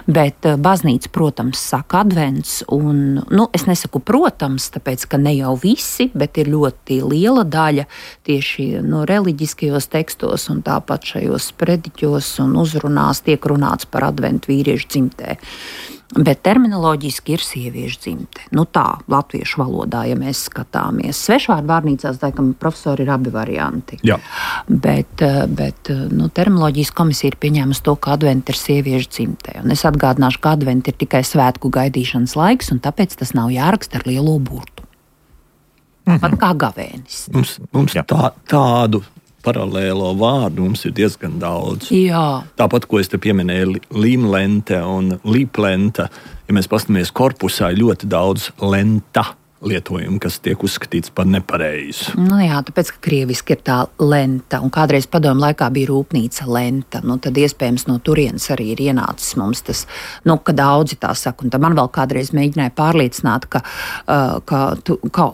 bet baznīca, protams, saka advents, un, nu, es nesaku protams, tāpēc, ka ne jau visi, bet ir ļoti liela daļa tieši no reliģiskajos tekstos un tāpat šajos sprediķos un uzrunās tiek runāts par adventu vīriešu dzimtē. Bet terminoloģiski ir sieviešu dzimte. Nu tā, latviešu valodā, ja mēs skatāmies. Svešvārdu vārnīcās, tā kā profesori ir abi varianti.
Jā.
Bet, bet nu, terminoloģijas komisija ir pieņēmusi to, ka adventa ir sieviešu dzimtē. Un es atgādināšu, ka adventa ir tikai svētku gaidīšanas laiks, un tāpēc tas nav jāraksta ar lielo burtu. Pat kā gavēnis.
Mums, mums tā, tādu paralēlo vārdu mums ir diezgan daudz.
Jā.
Tāpat, ko es te pieminēju, līmlente un līplente, ja mēs paskatāmies korpusā, ļoti daudz lenta lietojumu, kas tiek uzskatīts par nepareizu.
Nu jā, tāpēc, ka krieviski ir tā lenta, un kādreiz padomu laikā bija rūpnīca lenta, nu tad iespējams no turienes arī ir ienācis mums tas, nu, ka daudzi tā saka, un tad man vēl kādreiz mēģināja pārliecināt, ka, uh, ka, tu, ka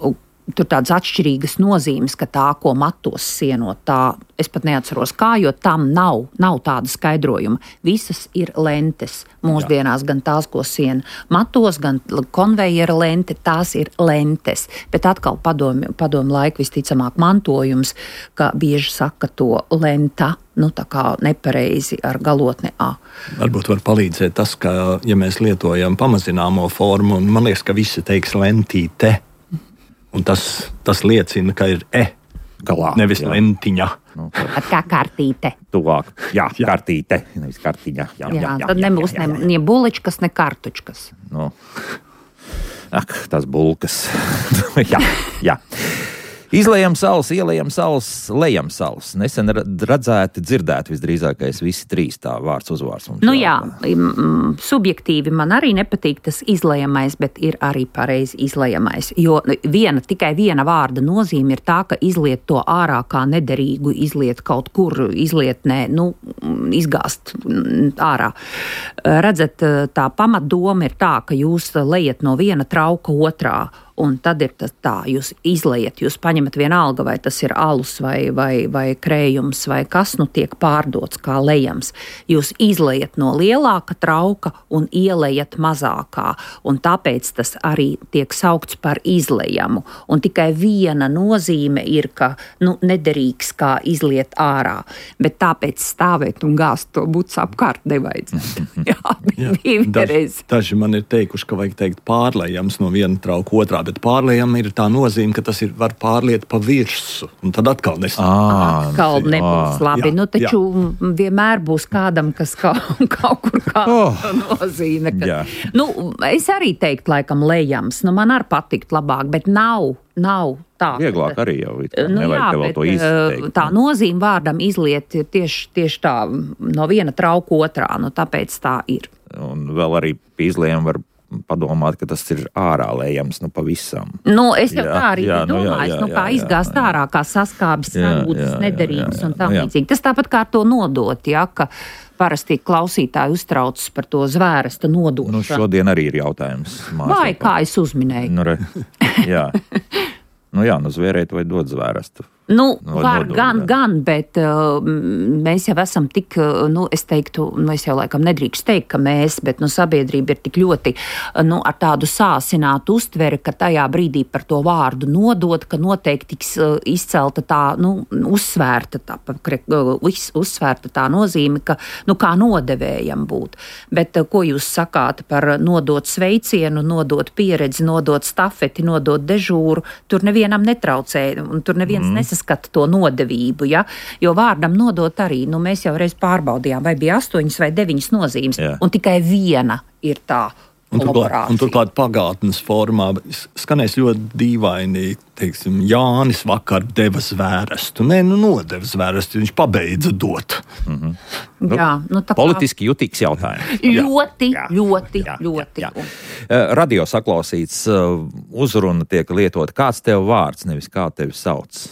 tur tādas atšķirīgas nozīmes, ka tā, ko matos sienot, tā, es pat neatceros kā, jo tam nav, nav tāda skaidrojuma. Visas ir lentes mūsdienās, gan tās, ko siena matos, gan konvejera lente, tās ir lentes. Bet atkal padomu, padomu laiku visticamāk mantojums, ka bieži saka to lenta, nu tā kā nepareizi ar galotni A.
Varbūt var palīdzēt tas, ka, ja mēs lietojam pamazināmo formu, un man liekas, ka visi teiks lentīte. Un tas, tas liecina, ka ir e galā, nevis jā. Lentiņa.
Nu, kā kartīte.
Tuvāk, jā, jā. Kartīte, nevis kartiņa. Jā,
jā, jā, jā, tad jā, nebūs jā, jā, jā. ne buličkas, ne kartučkas.
Nu. Ak, tās bulkas. jā, jā. Izlējam salas, ielējam salas, lejam salas. Nesen redzēti, dzirdēti visdrīzākais visi trīs tā vārds uzvārds.
Nu jā, m, subjektīvi man arī nepatīk tas izlējamais, bet ir arī pareizi izlējamais. Jo viena, tikai viena vārda nozīme ir tā, ka izliet to ārā kā nederīgu, izliet kaut kur, izliet nē, nu, izgāst ārā. Redzat, tā pamatdoma ir tā, ka jūs lejat no viena trauka otrā. Un tad ir tas tā, jūs izlejat, jūs paņemat vienalga, vai tas ir alus vai, vai, vai krējums vai kas, nu tiek pārdots kā lejams. Jūs izlejat no lielāka trauka un ielejat mazākā, un tāpēc tas arī tiek saukts par izlejamu. Un tikai viena nozīme ir, ka, nu, nederīgs kā izliet ārā, bet tāpēc stāvēt un gāzt to buts apkārt nevajadzētu. Jā,
Jā.
bija
Daži, daži man ir teikuši, ka vajag teikt pārlejams no viena trauka otrā, bet pārlējam ir tā nozīme, ka tas ir var pārliet pa virsu, un tad atkal nesam.
Atkal nebūs labi. Jā, nu, taču jā. Vienmēr būs kādam, kas kaut, kaut kur kāda oh, nozīme. Ka, nu, es arī teiktu, laikam, lejams. Nu, man arī patikt labāk, bet nav, nav tā.
Vieglāk arī jau.
Nu, jā, bet izteikt, tā nozīme vārdam izliet tieši, tieši tā no viena trauka otrā, nu, tāpēc tā ir.
Un vēl arī izlējam var padomāt, ka tas ir ārā lejams, nu, pavisam.
Nu, es jau jā, tā arī
jā,
domāju,
nu, jā, jā,
nu, kā jā, izgāzt jā, ārā, kā saskābis, sarūdas, nederīgas un tam līdzīgi. Tas tāpat kā to nodot, ja, ka parasti klausītāji uztraucas par to zvērsta nodošanu.
Nu, šodien arī ir jautājums.
Vai kā es uzminēju?
Nu, re, jā. Nu jā, nu zvērēt vai dot zvērstu.
Nu, var nodod, gan, jā. gan, bet uh, mēs jau esam tik, uh, nu, es teiktu, nu, es jau laikam nedrīkst teikt, ka mēs, bet, nu, sabiedrība ir tik ļoti, uh, nu, ar tādu sāsinātu uztveri, ka tajā brīdī par to vārdu nodot, ka noteikti tiks uh, izcelta tā, nu, uzsvērta tā, uh, uz, uzsvērta tā nozīme, ka, nu, kā nodevējam būt. Bet, uh, ko jūs sakāt par nodot sveicienu, nodot pieredzi, nodot stafeti, nodot dežūru, tur nevienam netraucē, un tur neviens mm. nesas skata to nodevību, ja? Jo vārdam nodot arī, nu mēs jau reiz pārbaudījām, vai bija astoņas vai deviņas nozīmes, jā. Un tikai viena ir tā
un turklāt, un turklāt pagātnes formā skanēs ļoti dīvaini, teiksim, Jānis vakar deva zvērestu. Nē, nu nodeva zvērestu, viņš pabeidza dot.
Mm-hmm.
Nu, jā, nu, tā kā...
Politiski jutīgs jautājums.
Ļoti,
jā.
ļoti,
jā,
ļoti.
Jā, jā. Radio saklausīts, uzruna tiek lietot. Kāds tev vārds, nevis kā tevi sauc?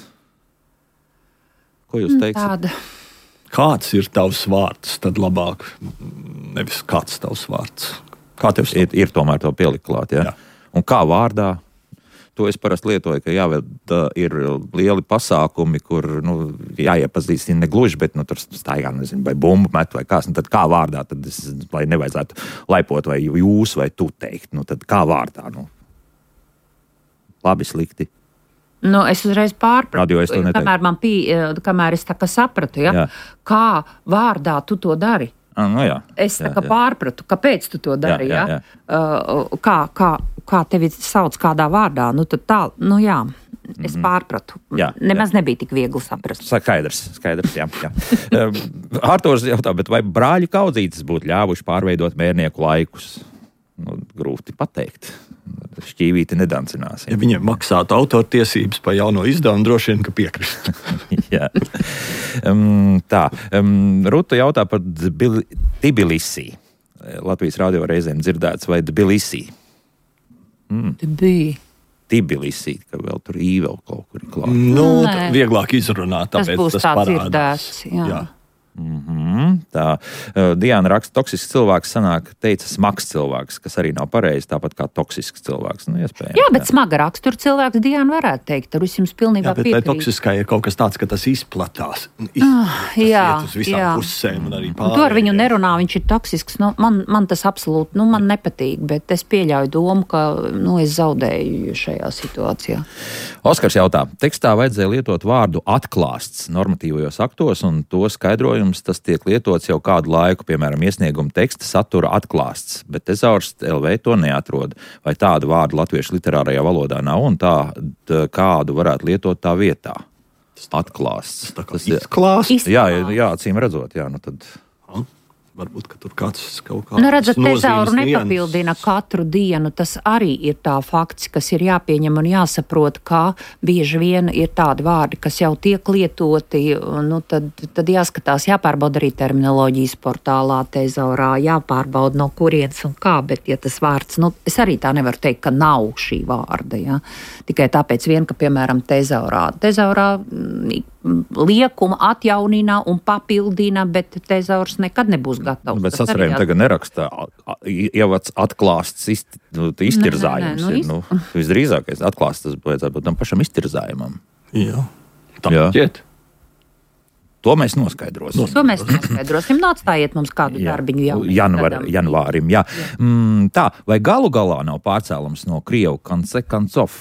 Ko jūs teiksiet?
Tāda.
Kāds ir tavs vārds, tad labāk nevis kāds tavs vārds. Kā tev
ir, ir tomēr to pielikt klāt, ja? Jā. Un kā vārdā? To es parasti lietoju, ka jāved ir lieli pasākumi, kur, nu, jāiepazīstina ne gluži, bet, nu, tur staigā, nezinu, vai bumbu met vai kāds, nu, tad kā vārdā, tad es, lai nevajadzētu laipot vai jūs vai tu teikt, nu, tad kā vārdā, nu. Labi, slikti.
Nu, es uzreiz pārpratu,
es
kamēr, man pī, kamēr es tā kā sapratu, ja? Kā vārdā tu to dari.
Ah, nu jā,
es tā
jā,
kā
jā.
pārpratu, kāpēc tu to dari,
jā, jā, jā.
Ja? Uh, kā, kā, kā tevi sauc kādā vārdā, nu tad tā, nu jā, es mm-hmm. pārpratu.
Jā,
Nemaz
jā.
nebija tik viegli saprast.
Skaidrs, skaidrs, jā. jā. Artūrs jautā, bet vai brāļu kaudzītes būtu ļāvuši pārveidot mērnieku laikus? Nu, grūti pateikt. Šķīvīti nedancinās.
Ja viņiem maksātu autortiesības par jauno izdevumu, droši vien, ka piekrist.
Jā. Um, tā. Um, Ruta jautā par Tbilisī. Latvijas radio reizēm dzirdēts, vai Tbilisī? Mm. Tbilisī, ka vēl tur īvēl kaut kur ir klāt.
Nu, vieglāk izrunāt, tāpēc tas,
būs
tas
tāds
parādās.
Dzirdēts, jā.
jā.
Mm-hmm. Tā uh, Diana raksta, toksisks cilvēks sanāk, teica smags cilvēks, kas arī nav pareizi, tāpat kā toksisks cilvēks. Nu, iespējams,
jā, bet jā. Smaga rakstura cilvēks Diana varētu teikt, tur es jums pilnībā piekrītu. Jā, bet
toksiskai ir kaut kas tāds, ka tas izplatās. Iz,
ah,
tas
jā,
iet uz visām
jā.
pusēm un arī
pārējiem.
pārējiem.
To ar viņu nerunā, viņš ir toksisks. Nu, man, man tas absolūti, nu, man nepatīk, bet es pieļauju domu, ka, nu, es zaudēju šajā situācijā.
Oskars jautā, tekstā vajadzēja lietot vārdu atklāsts normatīvajos aktos, un to skaidrojums tas tiek lietots jau kādu laiku, piemēram, iesnieguma teksta satura atklāsts, bet Tezaurs L V to neatrod. Vai tādu vārdu latviešu literārajā valodā nav, un tā, tā kādu varētu lietot tā vietā? Atklāsts.
Tas ir izklāsts.
Jā, jā, acīm redzot, jā, nu tad...
Varbūt, ka tur kāds kaut kāds
nu, redzat, tezauru
nozīmes
nepapildina katru dienu. Tas arī ir tā fakts, kas ir jāpieņem un jāsaprot, ka bieži vien ir tādi vārdi, kas jau tiek lietoti. Nu, tad, tad jāskatās, jāpārbauda arī terminoloģijas portālā tezaurā, jāpārbauda no kurienes un kā, bet ja tas vārds, nu, es arī tā nevaru teikt, ka nav šī vārda, ja? Tikai tāpēc vien, ka, piemēram, tezaurā. Tezaurā liekuma atjaunina un papildina, bet tezaurs nekad nebūs gatavs.
Bet sasarējumi jā... tagad nerakstā, jau atklāsts isti, nu, iztirzājums. Nē, nē, nē, nu, ir, nu, visdrīzākais atklāsts tas vajadzētu būt tam pašam iztirzājumam.
Jā, tā šķiet.
To mēs noskaidrosim.
To mēs noskaidrosim. Nu, atstājiet mums kādu jā. darbiņu jau.
Janvar, janvārim, jā. jā. Mm, tā, vai galu galā nav pārcēlums no Krievu kance kancov?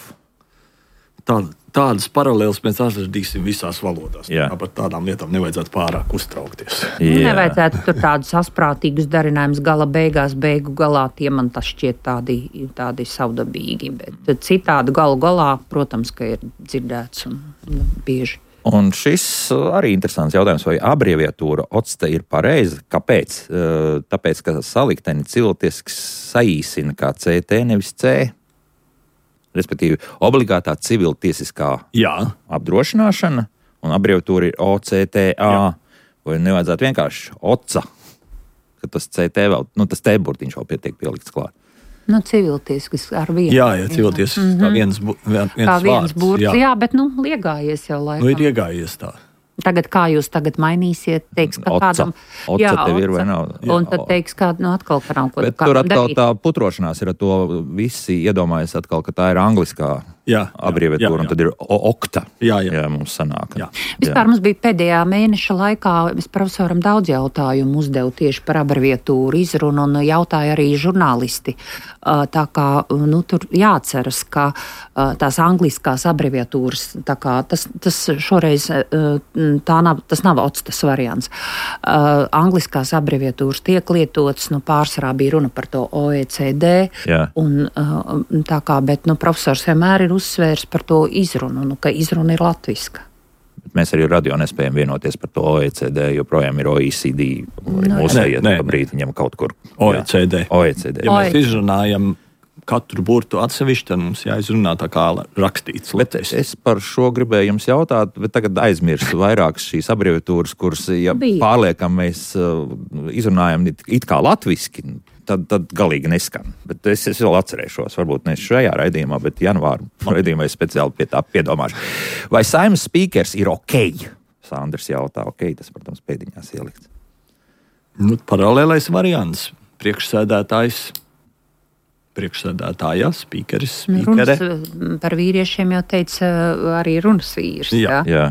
Tā, tādas paralēlas mēs atradīsim visās valodās. Jā. Par tādām lietām nevajadzētu pārāk uztraukties.
Jā. Nevajadzētu tur tādus asprātīgus darinājumus gala beigās, beigu galā. Tie man tas šķiet tādi, tādi savdabīgi. Bet citādi galu galā, protams, ka ir dzirdēts un bieži.
Un šis arī interesants jautājums, vai abreviatūra octe ir pareiza? Kāpēc? Tāpēc, ka salikteni cilvēciski saīsina kā C T, nevis C. Respektīvi, obligātā civiltiesiskā Jā. apdrošināšana un abreviatūra ir O C T A. Jā. Vai nevajadzētu vienkārši oca, ka tas C T vēl, nu tas T burtiņš vēl pietiek pielikts klāt.
Nu, civiltiesks ar vienu.
Jā, jā, civiltiesks mm-hmm. kā viens, bu, viens, viens
kā viens
vārds.
burts, jā. jā, bet nu liegājies jau laikam.
Nu ir iegājies tā.
Tagad kā jūs tagad mainīsiet, teiks, ka
oca.
kādam...
Oca jā, tev ir vai nav?
Jā. Un tad teiks, ka nu atkal ka nav ko
Bet tur atkal darīt. Tā putrošanās ir, to visi iedomājas atkal, ka tā ir angliskā jā, abreviatūra, jā, jā, jā. Un tad ir okta. Jā, jā. jā mums sanāk. Jā.
Vispār jā. Mums bija pēdējā mēneša laikā, es profesoram daudz jautājumu uzdevu tieši par abreviatūru izrunu un jautāja arī žurnālisti. Tā kā, nu, tur jāatceras, ka tās angliskās abreviatūras, tā kā tas, tas šoreiz tā nav, tas nav otstas variants. Angliskās abreviatūras tiek lietotas, nu, pārsvarā bija runa par to O E C D, jā. Un tā kā, bet, nu, profesors vienmēr ir uzsvērs par to izrunu, nu, ka izruna ir latviska.
Mēs arī radio nespējam vienoties par to O E C D, joprojām ir O E C D. Mūsu iet pa brīdi viņam kaut kur.
O E C D.
O E C D.
Ja mēs izrunājam katru burtu atsevišķi, tad mums jāizrunā tā kā rakstīts.
Es, es par šo gribēju jums jautāt, bet tagad aizmirstu vairākas šīs abreviatūras, kuras, ja Bija. pārliekam mēs uh, izrunājam it kā latviski, tad, tad galīgi neskan. Bet es, es vēl atcerēšos, varbūt ne šajā raidījumā, bet janvāra raidījumā es speciāli pie tā piedomāšu. Vai Saeimas spīkers ir ok? Sandrs jautā, ok, tas, protams, pēdiņās ielikts.
Nu, paralēlais variants. Priekšsēdētājs. Priekšsēdētājā, spīkeris, spīkere.
Runas par vīriešiem jau teica arī runas vīrs.
Jā,
jā.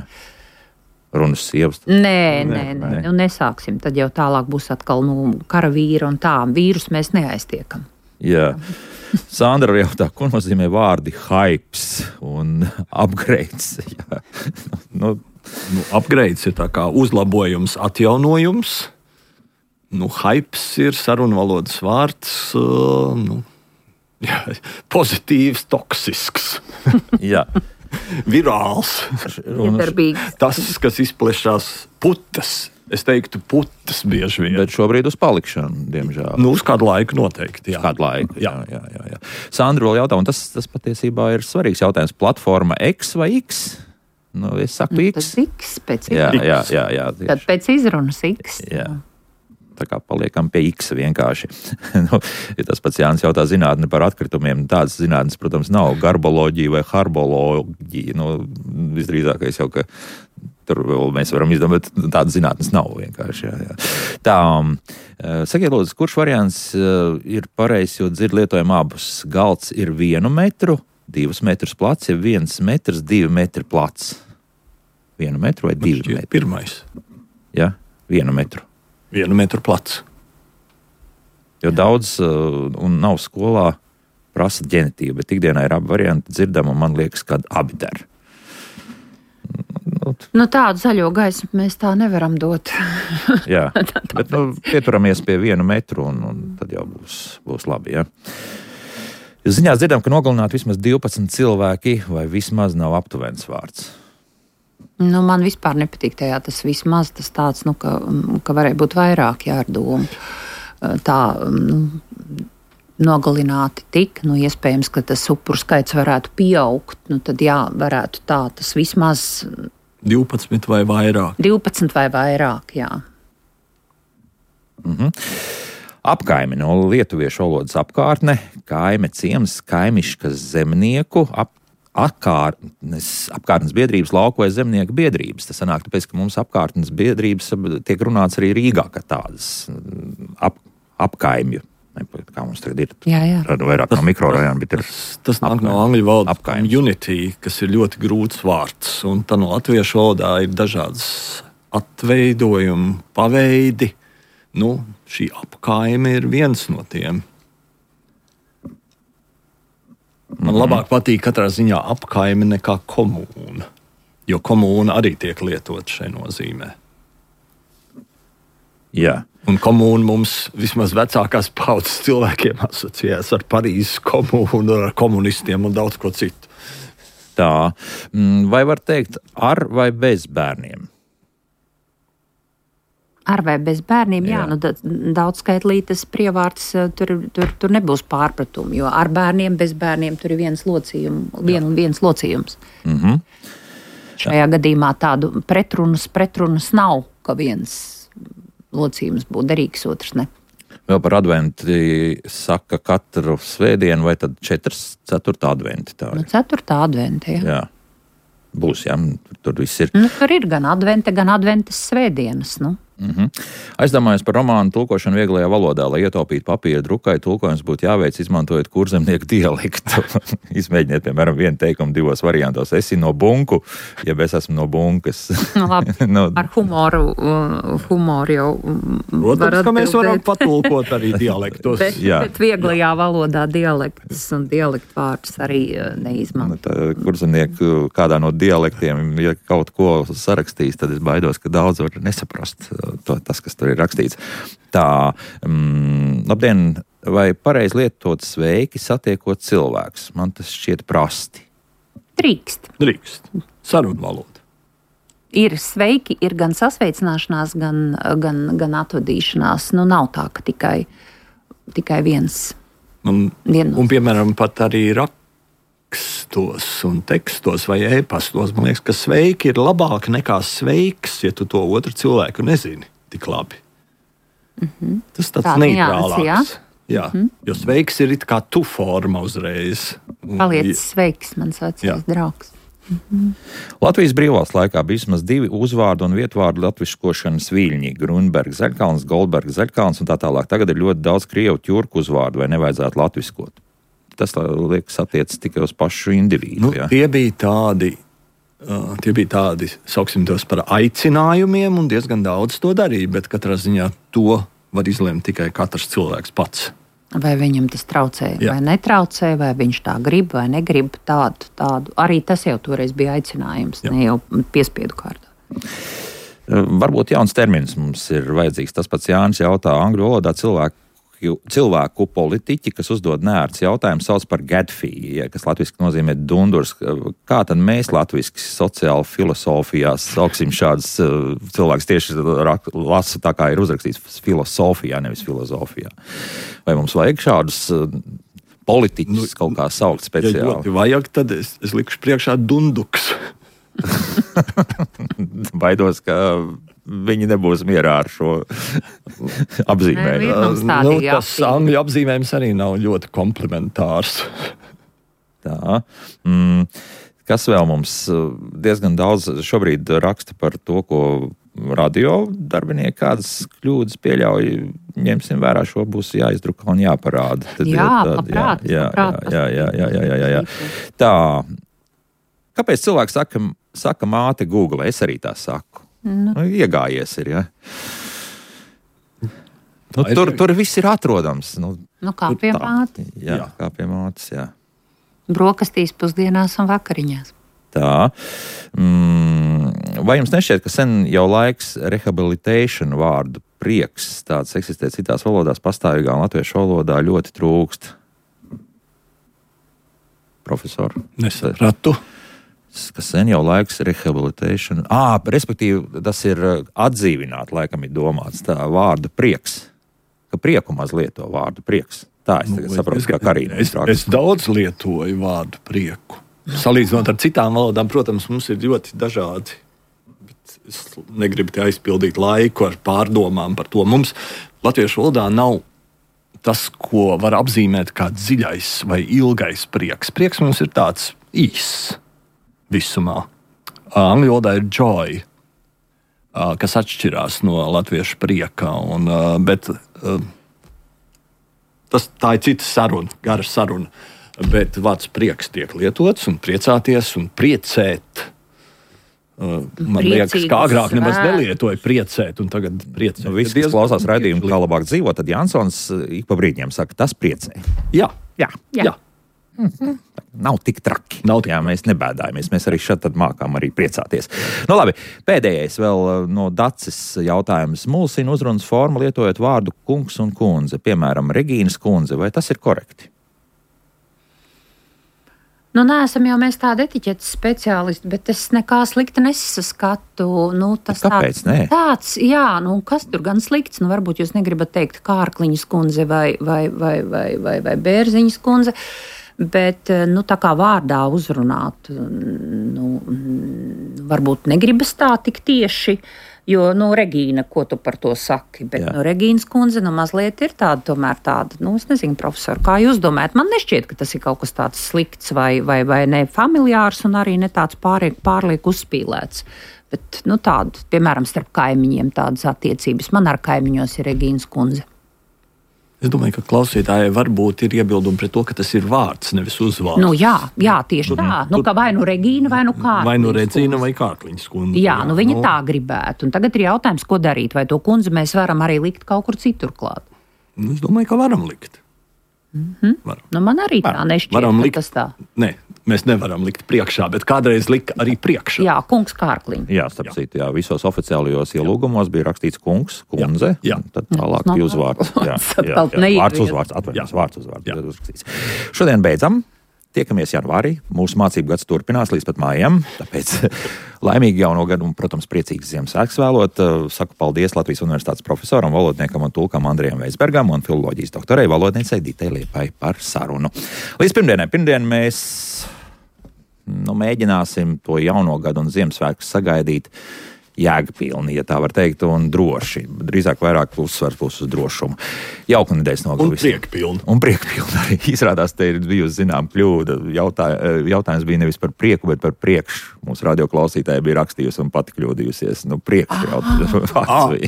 Runas sievas.
Nē, nē, nē, nu nesāksim. Tad jau tālāk būs atkal nu, kara vīra un tā. Vīrus mēs neaiztiekam.
Jā. Sandra jautā, ko nozīmē vārdi hypes un upgrades? Jā.
Nu, nu, upgrades ir tā kā uzlabojums, atjaunojums. Nu, hypes ir sarunvalodas vārds, uh, nu, jā, pozitīvs, toksisks.
Jā.
Virāls.
Iedarbīgs.
Tas, kas izplešās putas. Es teiktu, putas bieži vien.
Bet šobrīd uz palikšanu, diemžēl.
Nu, uz kādu laiku noteikti. Jā.
Uz kādu laiku, jā. jā, jā, jā. Sandra vēl jautā, un tas, tas patiesībā ir svarīgs jautājums. Platforma X vai X? Nu, es saku
nu,
X.
X pēc
jā, jā, jā, jā,
Tad pēc izrunas X.
Jā. Tā kā paliekam pie X vienkārši. nu, ja tas pats Jānis jautā zinātni par atkritumiem, tādas zinātnes, protams, nav garboloģija vai harboloģija. Nu, visdrīzākais jau, ka tur vēl mēs varam izdomāt, tādas zinātnes nav vienkārši. Jā, jā. Tā, sakiet, lūdzu, kurš variants ir pareizs, jo dzird lietojam abus? Galds ir vienu metru, divus metrus plats, ja viens metrs, divi metri plats. Vienu metru vai divi metri?
Pirmais.
Jā, vienu metru.
Vienu metru plats.
Jo daudz uh, un nav skolā prasa ģenitīvu, bet ikdienā ir abi varianti dzirdam, un man liekas, ka abi der.
Nu, tādu zaļo gaismu mēs tā nevaram dot.
Jā, bet nu, pieturamies pie vienu metru, un, un tad jau būs, būs labi. Ja? Ziņās dzirdam, ka nogalināti vismaz divpadsmit cilvēki, vai vismaz nav aptuvens vārds.
Nu, man vispār nepatīk tajā tas vismaz tas tāds, nu, ka, ka varēja būt vairāk jārdomu. Tā nu, nogalināti tik, nu, iespējams, ka tas upuru skaits varētu pieaugt, nu, tad jā, varētu tā, tas vismaz
divpadsmit vai vairāk.
divpadsmit vai vairāk, jā.
Mhm. Apkaime no lietuviešu valodas apkārtne, kaime ciems, kaimiškas zemnieku, ap Apkārtnes, apkārtnes biedrības, lauku vai zemnieku biedrības. Tas sanāk, tāpēc, ka mums apkārtnes biedrības tiek runāts arī Rīgā, ka tādas ap, apkaimju. Kā mums tagad ir?
Jā, jā.
Vairāk
tas,
no mikrorajona, bet ir
tas, tas nāk no angļu valodas
apkaimju.
Community, kas ir ļoti grūts vārds. Un tā no latviešu valodā ir dažādas atveidojumi, paveidi. Nu, šī apkaime ir viens no tiem. Man mm-hmm. labāk patīk katrā ziņā apkaime nekā komūna, jo komūna arī tiek lietot šai nozīmē.
Jā.
Un komūna mums vismaz vecākās paudzes cilvēkiem asociējās ar Parīzes komūnu, ar komunistiem un daudz ko citu.
Tā, vai var teikt ar vai bez bērniem?
Ar vai bez bērniem, jā, jā nu, da, daudz skaitlītas prievārds, tur, tur, tur nebūs pārpratumi, jo ar bērniem, bez bērniem tur ir viens locījums, vien un viens locījums.
Mm-hmm.
Šajā jā. gadījumā tādu pretrunas, pretrunas nav, ka viens locījums būtu derīgs, otrs ne.
Vēl par adventi saka katru svētdienu vai tad četras, ceturtā adventi tā ir?
Nu, ceturtā adventi, jā.
Jā. Būs, jā, tur, tur viss ir.
Nu, tur ir gan advente, gan adventas svētdienas, nu.
Mm-hmm. Aizdomājos par romānu tulkošanu vieglajā valodā, lai ietaupītu papīra drukai, tulkojums būtu jāveic izmantojot kurzemnieku dialektu. Izmēģiniet, piemēram, vienu teikumu divos variantos. Esi no bunku, jeb es esmu no bunkas.
Nu, labi, no... ar humoru, humoru jau
Protams, var ka mēs varam patulkot arī dialektos.
bet, bet vieglajā valodā dialektus un dialektu vārdus arī neizmanto.
Tā, kurzemnieku kādā no dialektiem, ja kaut ko sarakstīs, tad es baidos, ka daudz var nesaprast. To, tas, kas tur ir rakstīts. Tā, mm, labdien, vai pareizi lietot sveiki satiekot cilvēks? Man tas šķiet prasti.
Drīkst.
Drīkst. Sarunu valoda.
Ir sveiki, ir gan sasveicināšanās, gan, gan, gan atvadīšanās. Nu, nav tā, ka tikai, tikai viens.
Un,
vienos.
un, piemēram, pat arī rakstos un tekstos vai e-pastos, man liekas, ka sveiki ir labāk nekā sveiks, ja tu to otru cilvēku nezini tik labi.
Mm-hmm.
Tas tāds
tā
neitrālāks.
Jā,
jā. Mm-hmm. Jo sveiks ir it kā tu forma uzreiz.
Paliec sveiks, mans vecais draugs. Mm-hmm.
Latvijas brīvvalsts laikā bija vismaz divi uzvārdu un vietvārdu latviskošanas viļņi - Grunbergs, Zaļkalns, Goldbergs, Zaļkalns un tā tālāk. Tagad ir ļoti daudz krievu ķurku uzvārdu, vai nevajadzētu latviskot. Tas, liekas, attiecas tikai uz pašu individu.
Nu,
ja?
tie bija tādi, uh, tie bija tādi, sauksim tos par aicinājumiem, un diezgan daudz to darīja, bet katrā ziņā to var izlemt tikai katrs cilvēks pats.
Vai viņam tas traucē,
Jā.
vai netraucē, vai viņš tā grib, vai negrib tādu, tādu. Arī tas jau toreiz bija aicinājums, Jā. ne jau piespiedu kārtā.
Varbūt jauns termins mums ir vajadzīgs. Tas pats Jānis jautā angļu valodā cilvēku. Cilvēku politiķi, kas uzdod neērts jautājumu, sauc par gadfī, kas latviski nozīmē dundurs. Kā tad mēs latviski sociāli filosofijās sauksim šādus cilvēkus tieši lasa tā, kā ir uzrakstīts filosofijā, nevis filozofijā? Vai mums vajag šādus politiķus nu, kaut kā saukt speciāli?
Ja ļoti vajag, tad es, es likšu priekšā dunduks.
Baidos, ka viņi nebūs mierā ar šo apzīmējumu.
Nu, tas angļu apzīmējums arī nav ļoti komplimentārs.
Tā. Mm, kas vēl mums diezgan daudz šobrīd raksta par to, ko radio darbinieki kādas kļūdas pieļauj. Ņemsim vērā, šo būs jāizdruka un jāparāda. Tad
jā,
tad,
labprāt.
Jā, jā, jā, jā, jā, jā, jā, jā. Tā. Kāpēc cilvēks saka, saka māte Google? Es arī tā saku. Nu. Nu, iegājies ir, ja? Nu, tur, tur viss ir atrodams. Nu,
nu kā pie mātes.
Jā, jā, kā pie mātes, jā.
Brokastīs, pusdienās un vakariņās.
Tā. Mm, vai jums nešķiet, ka sen jau laiks rehabilitation vārdu prieks, tāds eksistē citās valodās, pastāvīgā un latviešu valodā ļoti trūkst? Profesor?
Nesapratu.
kas sen jau laiks rehabilitation. Ā, respektīvi, tas ir atdzīvināt, laikam ir domāts tā vārda prieks. Ka prieku maz lieto vārdu prieks. Tā es tagad nu, saprotu, es, kā Karīna.
Es, es daudz lietoju vārdu prieku. Salīdzinot ar citām valodām, protams, mums ir ļoti dažādi. Bet es negribu te aizpildīt laiku ar pārdomām par to. Mums latviešu valodā nav tas, ko var apzīmēt kā dziļais vai ilgais prieks. Prieks mums ir tāds īss visumā. Angļu valodā ir joy, kas atšķirās no latviešu prieka. Un, bet tas, tā ir cita saruna, gara saruna. Bet vārds prieks tiek lietots un priecāties un priecēt. Man
Priecīgas
liekas, ka agrāk nemaz
svētkus.
nelietoja priecēt, un tagad priecēt.
Nu, visi, kas klausās raidījumu, kā labāk dzīvot, tad Jansons ik pa brīdiem saka, tas priecē.
Jā,
Jā.
jā.
Mm-hmm. Nav tik traki.
Nav tik
Jā, mēs nebēdājamies. Mēs arī šeit mākām arī priecāties. Nu, labi, pēdējais vēl no Dacis jautājums. Mulsina uzrunas formu lietojot vārdu kungs un kundze, piemēram, Regīnas kundze. Vai tas ir korekti?
Nu, neesam jau mēs tādi etiķetes speciālisti, bet es nekā slikta nesaskatu. Nu, tas
Kāpēc?
tāds,
Nē?
tāds, jā, nu, kas tur gan slikts? Nu, varbūt jūs negribat teikt Kārkliņas kundze vai, vai, vai, vai, vai, vai Bērziņas kundze, bet nu, tā kā vārdā uzrunāt, nu, varbūt negribas tā tik tieši. Jo, nu, Regīna, ko tu par to saki? Bet, Jā. nu, Regīnas kundze, nu, mazliet ir tāda, tomēr tāda, nu, es nezinu, profesori, kā jūs domājat? Man nešķiet, ka tas ir kaut kas tāds slikts vai, vai, vai ne familiārs un arī ne tāds pārliek, pārliek uzspīlēts. Bet, nu, tāda, piemēram, starp kaimiņiem tādas attiecības. Man ar kaimiņos ir Regīnas kundze.
Es domāju, ka klausītājai varbūt ir iebildumi pret to, ka tas ir vārds, nevis uzvārds.
Nu, jā, jā, tieši tur, tā. Nu, ka vai nu Regīna, vai nu Kārkliņas.
Vai nu Regīna, vai Kārkliņas kundze.
Jā, nu viņa tā gribētu. Un tagad ir jautājums, ko darīt. Vai to kundzi mēs varam arī likt kaut kur citur klāt?
Nu, es domāju, ka varam likt.
Mm-hmm.
Varam.
Nu, man arī tā nešķiet,
varam
ka
likt,
tas tā.
Nē, mēs nevaram likt priekšā, bet kādreiz lika arī priekšā.
Jā, kungs Kārkliņa.
Jā, starp citu, jā, visos oficiālajos ielūgumos bija rakstīts kungs, kundze,
Jā, jā.
tad tālāk bija uzvārds. Jā, jā, jā, vārds uzvārds, atvainojos, vārds uzvārds. Šodien beidzam. Tiekamies janvārī. Mūsu mācību gads turpinās līdz pat mājām. Tāpēc laimīgi jauno gadu un, protams, priecīgas Ziemassvētkus vēlot. Saku paldies Latvijas Universitātes profesoram, valodniekam un tulkam Andrijam Veisbergam un filoloģijas doktorei valodniecei Ditai Liepai par sarunu. Līdz pirmdienai. Pirmdien mēs nu, mēģināsim to jauno gadu un Ziemassvētkus sagaidīt jēgpilni, ja tā var teikt, un droši. Drīzāk vairāk uzsvars būs uz drošumu. Jauka nedēļas nogalu.
Un priekpilni.
Un priekpilni arī. Izrādās, te ir bijusi zinām kļūda. Jautā, jautājums bija nevis par prieku, bet par priekšu. Mūsu radioklausītāja bija rakstījusi un pati kļūdījusies. Nu, priekš jautājums.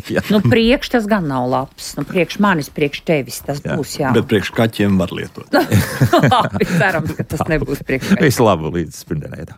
bija.
Nu, priekš tas gan nav labs. Nu, priekš manis, priekš tevis tas jā. būs, jā.
Bet priekš kaķiem var lietot.
Labi, cerams, ka tas nebūs priekš kaķiem.
Visu labu līdz pirmdienai.